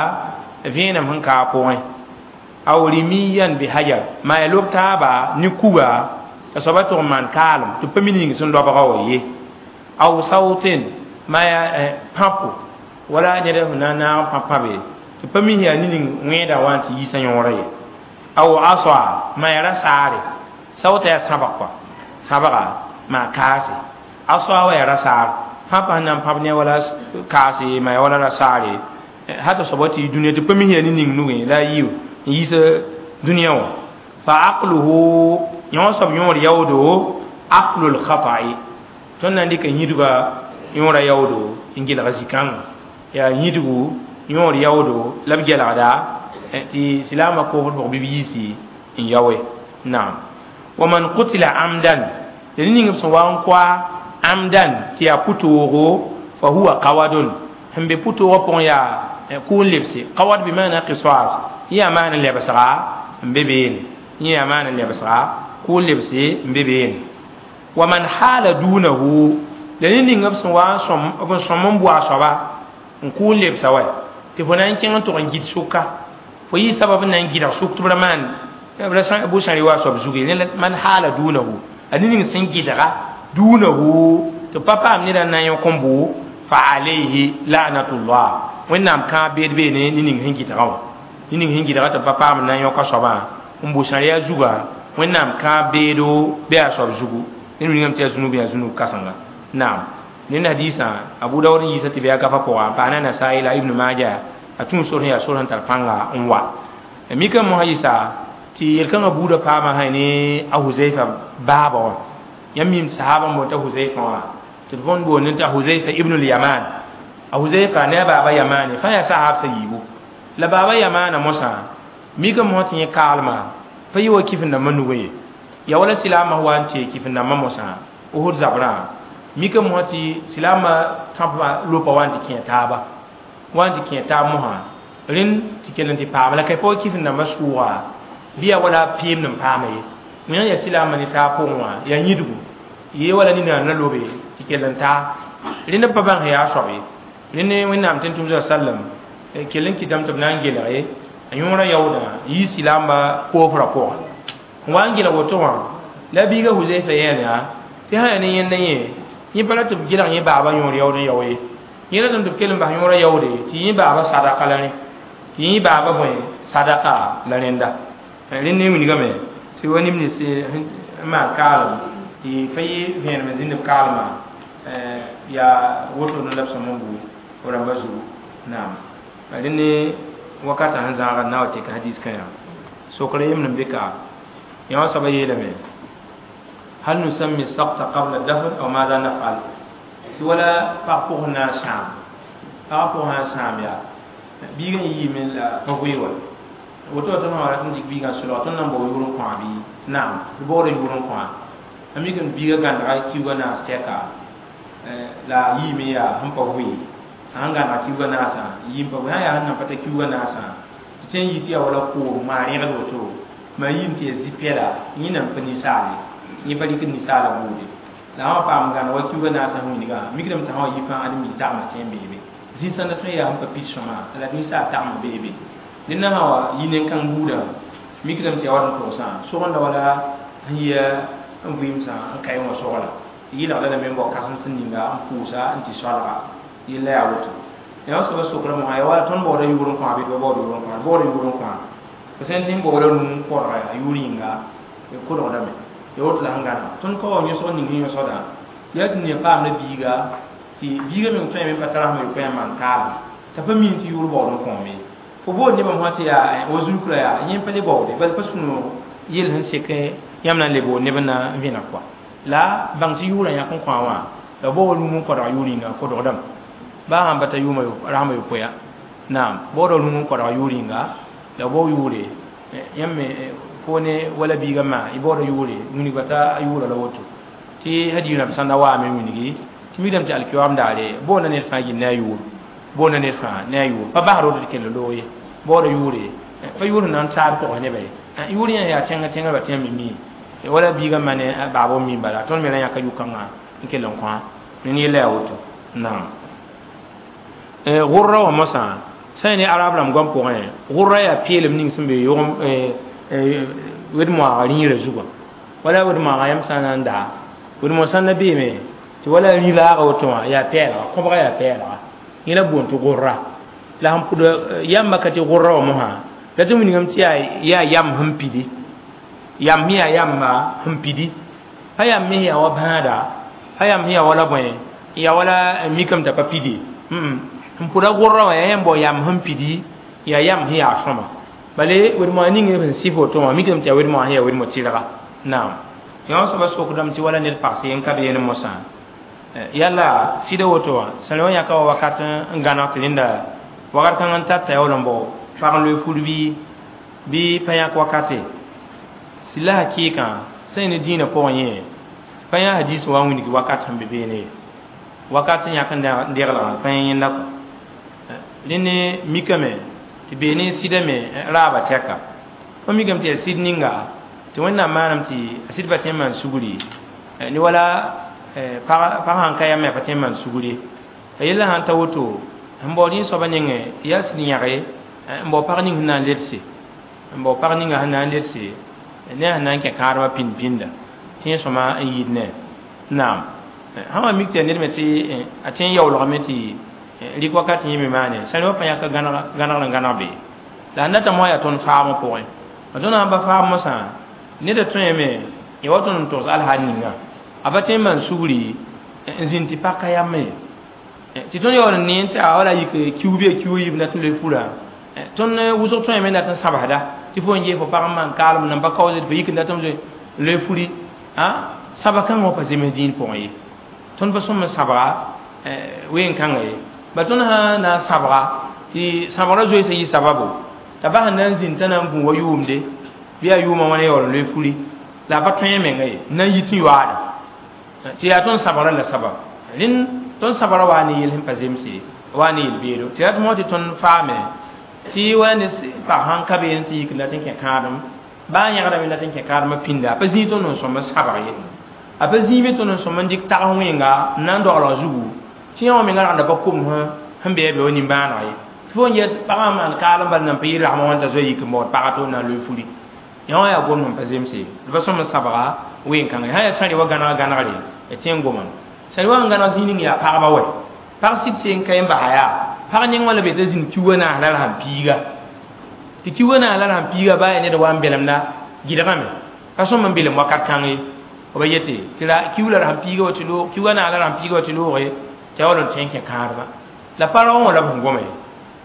vẽenem sẽn ka a pʋgẽ aw rimiyan bi hajar maa ya lob taaba ne kuga t'a soaba tʋg n maan kaalem tɩ pa mi ning sẽn loabga wa ye aw sautin maa ya pãpo wala ned sẽn na n naag pã-pãbe tɩ pa mi yaa ning wẽeda wã n tɩ yiisã yõora ye aw asa maa ya ra saare sauta yaa sãbg kɔa sãbga maa kaase asa wa ya ra saar pãpã sẽn na n pãb ne wala kaase maa ya wala ra saare hata soaba tɩ yi dũniyã tɩ pa mi yaa ne ning nugẽ la a yiu n yiis dũniyã wã fa aqluhu yã wã soab yõor yaoodo aqlu lkhata'i tõnd na n dɩka yĩdga yõora yaoodo n gelg zĩ-kãngã yaa yĩdgu yõor yaoodo la b gelgda tɩ silaamã koofr pʋg bɩ b yiisi n yaoe naam wa man qutila amdan la ne ning b sẽn wa n koa amdan tɩ yaa pʋtoogo fa huwa qawadun sẽn be pʋtoogã pʋgẽ yaa kʋʋn lebse qawad bɩ maana qisas yẽ yaa maan n lebsga n be beene yẽ yaa maan n lebsga kʋʋn lebse n be beene wa man haala duunahu la ne ning b sẽn wa n sõm n bʋ a soaba n kʋʋn lebsa wa tɩ fo na n kẽng n tʋg n gid sʋka fo yɩ sabab n na n gɩdg sʋk tɩ b ra maan bʋ-sãri wa a soab zugu ye man haala duunahu a ne ning sẽn gɩdga duunahu tɩ pa paam ned n na n yõk n bʋ fa alayhi la'natullah Wẽnnaam kãab beed beene ne ning sẽn gɩdga wã ne ning sẽn gɩdga tɩ pa paam n na n yõk a soabã n bʋ sãriya zuga Wẽnnaam kãab beedo bɩ a soab zugu ned wingame tɩ yaa zunub yaa zunub kãsenga naam ned hadiisã Abu Daood n yiisa tɩ bɩ a gafa pʋga n paana Nasai la Ibn Maja a tũu sor sẽn yaa sor sẽn tar pãnga n wa mika mosã yɩsa tɩ yel-kãngã buudã paamã sã ne a Huzaifa baaba wã yãmb mim sahaba n boond t'a Huzaifa wã tɩ d võnd boond t'a Huzaifa ibn al-Yaman a Huzaifa ne a baaba Yamane fãa yaa sahab sa yiibu la baaba Yamana mosã mika mosã tɩ yẽ kaalmã pa yɩ wa kifin-dãmbã nugã ye ya wala silaamã wa n tee kifin-dãmbã mosã Uhud zabrã mika mosã tɩ silaamã tãpba lopa wa n tɩ kẽ taaba wa n tɩ kẽ taab mosã rẽnd tɩ kell n tɩ paam la ka pa wa kifin-dãmbã sʋʋga bɩ yaa wala peemd n paama ye wẽng yaa silaamã ne taab pʋgẽ wã yaa yĩdgu yee wala nina na lobe tɩ kell n taa rẽnd b pa bãng yaa soab ye rẽnd Wẽnnaam tẽn-tʋmd sallam kell n kɩtame tɩ b na n gelge a yõora yaoodã yɩ silaamba koofrã pʋgã n wa n gelg woto wã la biiga Huzaifa yɛɛl yaa tɩ sã yaa ne yẽnda yẽ yẽ pa ra tɩ b gelg yẽ baaba yõor yaood n yao ye yẽ ratame tɩ b kell n bas yõora yaoode tɩ yẽ baaba sadaka la rẽ tɩ yẽ baaba bõe sadaka la rẽnda rẽnd ne wilgame tɩ wa neb nins n maan kaalem tɩ pa yɩ vẽenem n zĩnd b kaalmã yaa woto la b sõm n bu rãmbã zugu naam rẽnd ne wakata sẽn zãagd na wa tɩk hadis kã yaa sokr yemd n be ka yã wã soaba yeelame hal nusammi sakta qabla dafn aw maada nafal tɩ wala pag pʋg sẽn na n sãam pagã pʋg sã n sãam yaa biigã yiime la pa vʋɩ wa woto tõnd sã wa rat n dɩk biigã solg tõnd na n bao yʋʋr n kõ bɩ naam d baooda yʋʋr n kõ a mik n biigã gãndga kiuugã naas tɛka la a yiime yaa sẽn pa vʋɩ Sãn gãnega kiuga naasã yĩm pa sã yaa sẽn nan pa ta kiuga naasã tɩ tõe n yɩ tɩ yaa wala koom maa rẽgd woto ma yĩm tɩ yaa zĩ-pɛla yẽ nan pa ninsaale yẽ pa rɩkd ninsaala buude la sã wa paam gãneg wa kiuga naasã wĩnigã mikdame t'a sã wa yɩ fãa ãdem-biis tagmã tẽ n beebe zĩ-sãnda tõe n yaa sẽn pa pid sõma la ninsaal tagmã beebe ned na sã wa yɩ nen-kãng buudã mikdame tɩ yaa wat n togsã sogenda wala sẽn yɩ n vɩɩmsã n ka wã sogla yɩlgda lame n bao kãsem sẽn ninga n pʋʋsa n tɩ soalga yella yaa woto yaa soaba sokra mosã yaa wala tõnd baooda yʋʋr n kõ bɩ d pa baooda yʋʋr n kõ baooda yʋʋr n kõ fo sẽn tɩ n baooda rũm n kɔrga a yʋʋr yĩnga kolgdame ya woto la sẽn gãnega tõnd ka wa yõsg ning sẽn yõsgdã yaa tɩ ne paamda biiga tɩ biiga meng tõe me pa tara sẽn yopoe maan kaalem t'a pa miim tɩ yʋʋr baood n kõome fo bood nebã mosã tɩ yaa wa zulkra yaa yẽ pa le baoode bal pa sũno yel sẽn sek yãmb na n le bood neb n na n vẽneg kɔa la bãng tɩ yʋʋrã yãk n kõ wã la baood rũm n kodg yʋʋr yĩnga kodgdame baa sãn pa ta yʋʋma rasma yopoeya naam baooda rũm n kodg yʋʋr yĩnga la bao yʋʋre yãmb me fo ne wala biiga maa y baooda yʋʋre wĩnigba t'a yʋʋra la woto tɩ hadiirãmb sãn na waame wĩnigi tɩ mikdame tɩ alkiyoam daare boonda ned fãa gill ne a yʋʋr boonda ned fãa ne a yʋʋr pa basd woto tɩ kell loog ye baooda yʋʋre pa yʋʋr sẽn na n taab togs nebã ye yʋʋr yã yaa tẽngã tẽngã ba tẽm me mi wala biiga ma ne baabo mi bala tõnd me ra yãka yʋ-kãngã n kell n kõ ned yella yaa woto naam gʋrra wã mosã sã ne arab rãmb goam pʋgẽ gʋrra yaa peelem ning sẽn be yʋgem wed-moaaga rĩirã zugã wala wed-moaaga yãmb sã n na n daa wed-moag sã n na beeme tɩ wala rĩ-laaga woto wã yaa pɛɛlga kõbga yaa pɛɛlga yẽ la boond tɩ gʋrra la sẽn pʋd yamba ka tɩ gʋrra wã mosã la tɩ wilgame tɩ yaa yam sẽn pidi yam sẽn yaa yamba sẽn pidi pa yam me yaa wa bãada pa yam sẽn yaa wala bõe yaa wala mikame t'a pa pidi sẽn pʋda gʋrra wã yaa yãmb bao yam sẽn pidi yaa yam sẽn yaa sõma bale wed-moag ning sẽn sɩf woto wã mikame tɩ yaa wed-moag sẽn yaa wed-mo tɩrga naam yã soaba sokdame tɩ wala ned pagse n ka beene mosã yalla sɩda woto wã sã wa yãka wa wakat n gãneg tɩ rẽnda wakat kãng n tar t'a yaool n bao pag n loe fur bɩ pa yãk wakate sɩla hakɩɩkã sã ne dĩinã pʋgẽ yẽ pa yã hadis wa n wilg wakat sẽn be beene wakat sẽn yãk n deglgã pa yã yẽnda kɔ rẽnd mikame tɩ beene sɩda me raaba tɛka fo mikame tɩ yaa sɩd ninga tɩ wẽnnaam maanam tɩ a sɩd pa tõe n maan sugri ne wala pag sãn ka yame pa tõe n maan sugri a yella sãn ta woto sẽn baood yẽ soaba nengẽ yaa sɩd yãge n bao pag ning sẽn na n ledse n bao pag ninga sẽn na n ledse ne sẽn na n kẽ kãadmã pĩnd pĩnda tɩ yẽ sõma n yɩɩd ne naam sã wa mik tɩ yaa ned me tɩ a tõe n yaoolgame tɩ rɩk wakat yẽ me maane sã wa pa yãk gãnegr n gãneg be la n datame wã yaa tõnd faamã pʋgẽ tõnd sãn pa faam mosã neda tõeme ya wa tõnd n togs alhaal ninga a pa tõe n maan sugri n zĩnd tɩ pag ka yam ye tɩ tõnd yaool n nee tɩ a wala yik kiu bɩ kiu yib dat n loe furã tõnd wʋsg tõeme dat n sabsda tɩ fo n ges fo pag n maan kaalem nan pa kaoosd fo yik n dat n loe furi sabg kãngã wã pa zems dĩin pʋgẽ ye tõnd pa sõm n sabga ween-kãnga ye ba tõnd sã na n sabga tɩ sabgrã zoeesã yɩ sababo t'a bas n na n zĩnd t'a na n gũ wa yʋʋmde bɩ yaa yʋʋmã wãna yaool n loe furi la a pa tõe menga ye n na n yit n yoaada tɩ yaa tõnd sabrã la sabab rẽnd tõnd sabrã waa ne yel sẽn pa zemse waa ne yel-beedo tɩ rat mo tɩ tõnd faame tɩ wala ne pag sãn ka beene tɩ yik n dat n kẽ kãadem baa yãgdame n dat n kẽ kãademã pĩnda a pa zĩig tõnd n sõm n sabg ye a pa zĩig me tõnd n sõm n dɩk tag wẽnga n na n doglg zugu tɩ yã wã menga ragenda pa kom sẽn be a be wa nimbãaneg ye tɩ fo n ges pagã n maan kaalem bal nan pa yɩ rasmã wãn t'a zoa yik n baood pagã tɩ na n loe furi yã wã yaa gom sẽn pa zemse d pa sõm n sabga ween-kãngã sã yaa sãre wa gãneg gãnegre tẽ n gomame sãre wa n gãneg zĩig ning yaa pagba wɛ pag sɩd seen ka n basa yaa pag neng wã la be t'a zĩnd kiuga naas la sãn piiga tɩ kiuga naas la sãn piiga baa yaa ned wa n belemda gɩdgame pa sõm n belem wakat kãng ye b yete tɩ ra kiu la sãn piiga wa tɩ loog kiuga naas la sãn piiga wa tɩ looge tɩ a wall n tõe n kẽ kãadmã la pa rao wã la b sẽn gome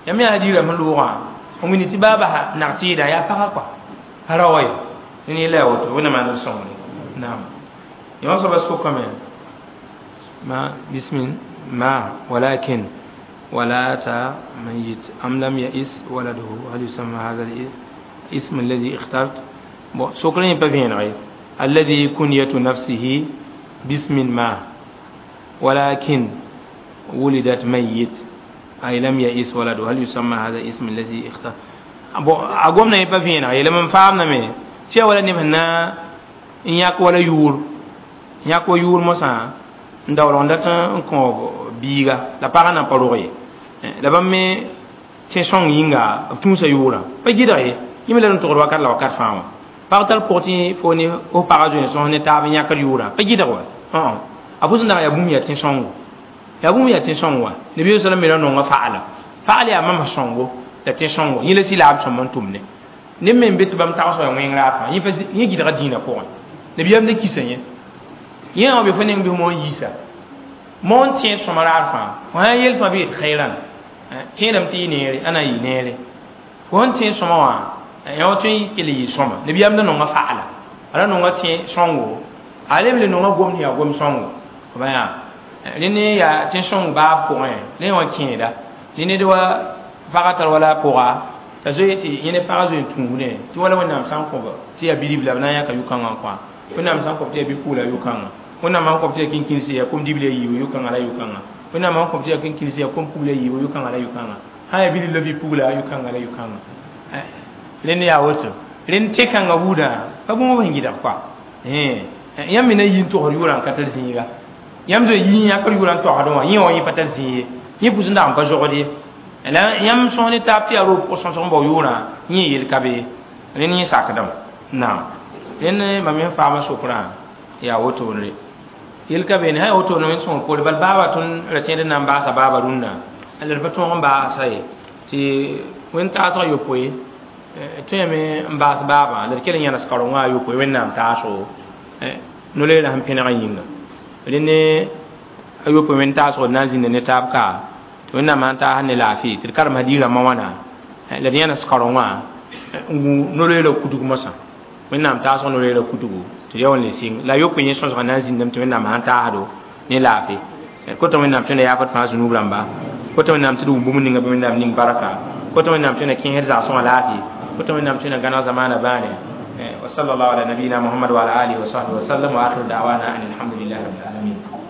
yãmb yaa diirame sẽn loogã n wilg tɩ baa basa nag tɩɩda yaa pagã kɔa pa rao wa ye ned yella yaa woto wẽnnaam maan d sõngre naam yã soaba sokame ma bismin ma walakin ولا ميت أم لم يئس ولده هل يسمى هذا الاسم الذي اخترت سكرين بفين غير الذي كنية نفسه باسم ما ولكن ولدت ميت Ay lam ya'is waladu hal yusamma hadha ism alladhi ikhtar bon a gomna yẽ pa vẽeneg yeelame n faamdame tɩ yaa wala neb sẽn na n yãk wala yʋʋr yãk wa yʋʋr mosã n daoolg n dat n kõob biiga la pagã nan pa rog ye la bãmb me tẽ-sõng yĩnga b tũusa yʋʋrã pa gɩdg ye yẽ me la d n togd wakat la wakat fãa wã pag tar pʋg tɩ fo ne f pagã zoe n sõs ne taab n yãkd yʋʋrã pa gɩdg wa a pʋs n dag yaa bũmb yaa tẽ-sõngo yaa bũmb yaa tẽ-sõng wã nabi sallam me ra nonga faala faal yaa mama sõngo la tẽ-sõngo yẽ la sɩlaam sõm n tʋmne neb me n be tɩ bãmb tagsg yaa wẽng raafã yẽ gɩdga dĩinã pʋgẽ nabiyaam da kisa yẽ yẽ wã be fo neng bɩ fo moon yiisa moon tẽed sõma raar fãa fo sã n yel fãa bɩ yet khairan tẽedame tɩ yɩ neere a na n yɩ neere fo sẽn tẽed sõma wã yã wa tõe n kell n yɩ sõma nabiyaam da nonga faala a ra nonga tẽ sõngo a leb le nonga gomd yaa gom sõngo b yaa rẽnd yaa tẽ-sõng baab pʋgẽ rẽ wã kẽeda rẽ ned wa pagã tar wala pʋga t'a zoe tɩ yẽ ne pagã zoe n tũusdẽ tɩ wala Wẽnnaam sã n kõba tɩ yaa bidibla b na n yãka yʋ-kãngã n kõ Wẽnnaam sã n kõb tɩ yaa bi-pugla yʋ-kãngã Wẽnnaam sã n kõb tɩ yaa kĩnkĩnsi yaa kom-dibla yiibu yʋ-kãngã la yʋ-kãngã Wẽnnaam sã n kõb tɩ yaa kĩnkĩnsi yaa kom-pugla yiibu yʋ-kãngã la yʋ-kãngã sã yaa bidibla bi-pugla yʋ-kãngã la yʋ-kãngã rẽnd yaa woto rẽnd tẽ-kãngã buudã pa bũmb sẽn gɩdg koa yãmb me na yi n togsd yʋʋrã n ka tar zĩiga yãmb zoe yi n yãkd yʋʋrã n togsdẽ wã yẽ wã yẽ pa tar zĩig ye yẽ pʋs n dag n pa zogd ye la yãmb sõs ne taab tɩ yaa roog pʋg sõsg n bao yʋʋrã yẽ yel ka be ye rẽnd yẽ sakdame naam rẽnd mam me faama sokrã yaa wotone yel ka beene sã yaa wotone wẽnd sõng poore bal baaba tõnd ra tẽed n na n baasa baaba rũnnã la d pa tõog n baasa ye tɩ wẽnd taasg yopoe tõeme n baas baabã la d kell n yãnes kaorengã a yopoe Wẽnnaam taasgo no-leerã sẽn pẽneg n yĩnga rẽnd a yopoe wẽnd taasgo d na n zĩnda ne taab ka tɩ Wẽnnaam sãn taas ne laafɩ tɩ d karem hadiirãmbã wãna la d yãnes kaorengã n gũ no-leerã kudg mosã Wẽnnaam taasg no-leerã kudgu tɩ d ya wa n le sɩng la a yopoe yẽ sõsgã na n zĩndame tɩ Wẽnnaam sãn taasdo ne laafɩ kota Wẽnnaam tõe na yaafd fãa zũnub rãmba kota Wẽnnaam tɩ d wʋm bũmb ninga bɩ Wẽnnaam ning barka kota Wẽnnaam tõe na kẽesd zagsõngã laafɩ kota Wẽnnaam tõe na gãneg zamaana bãane wa sallallahu ala nabiyina Muhammad wa ala alihi wa sahbihi wa sallam wa akhiru da'wana an alhamdulillahi rabbil alamin.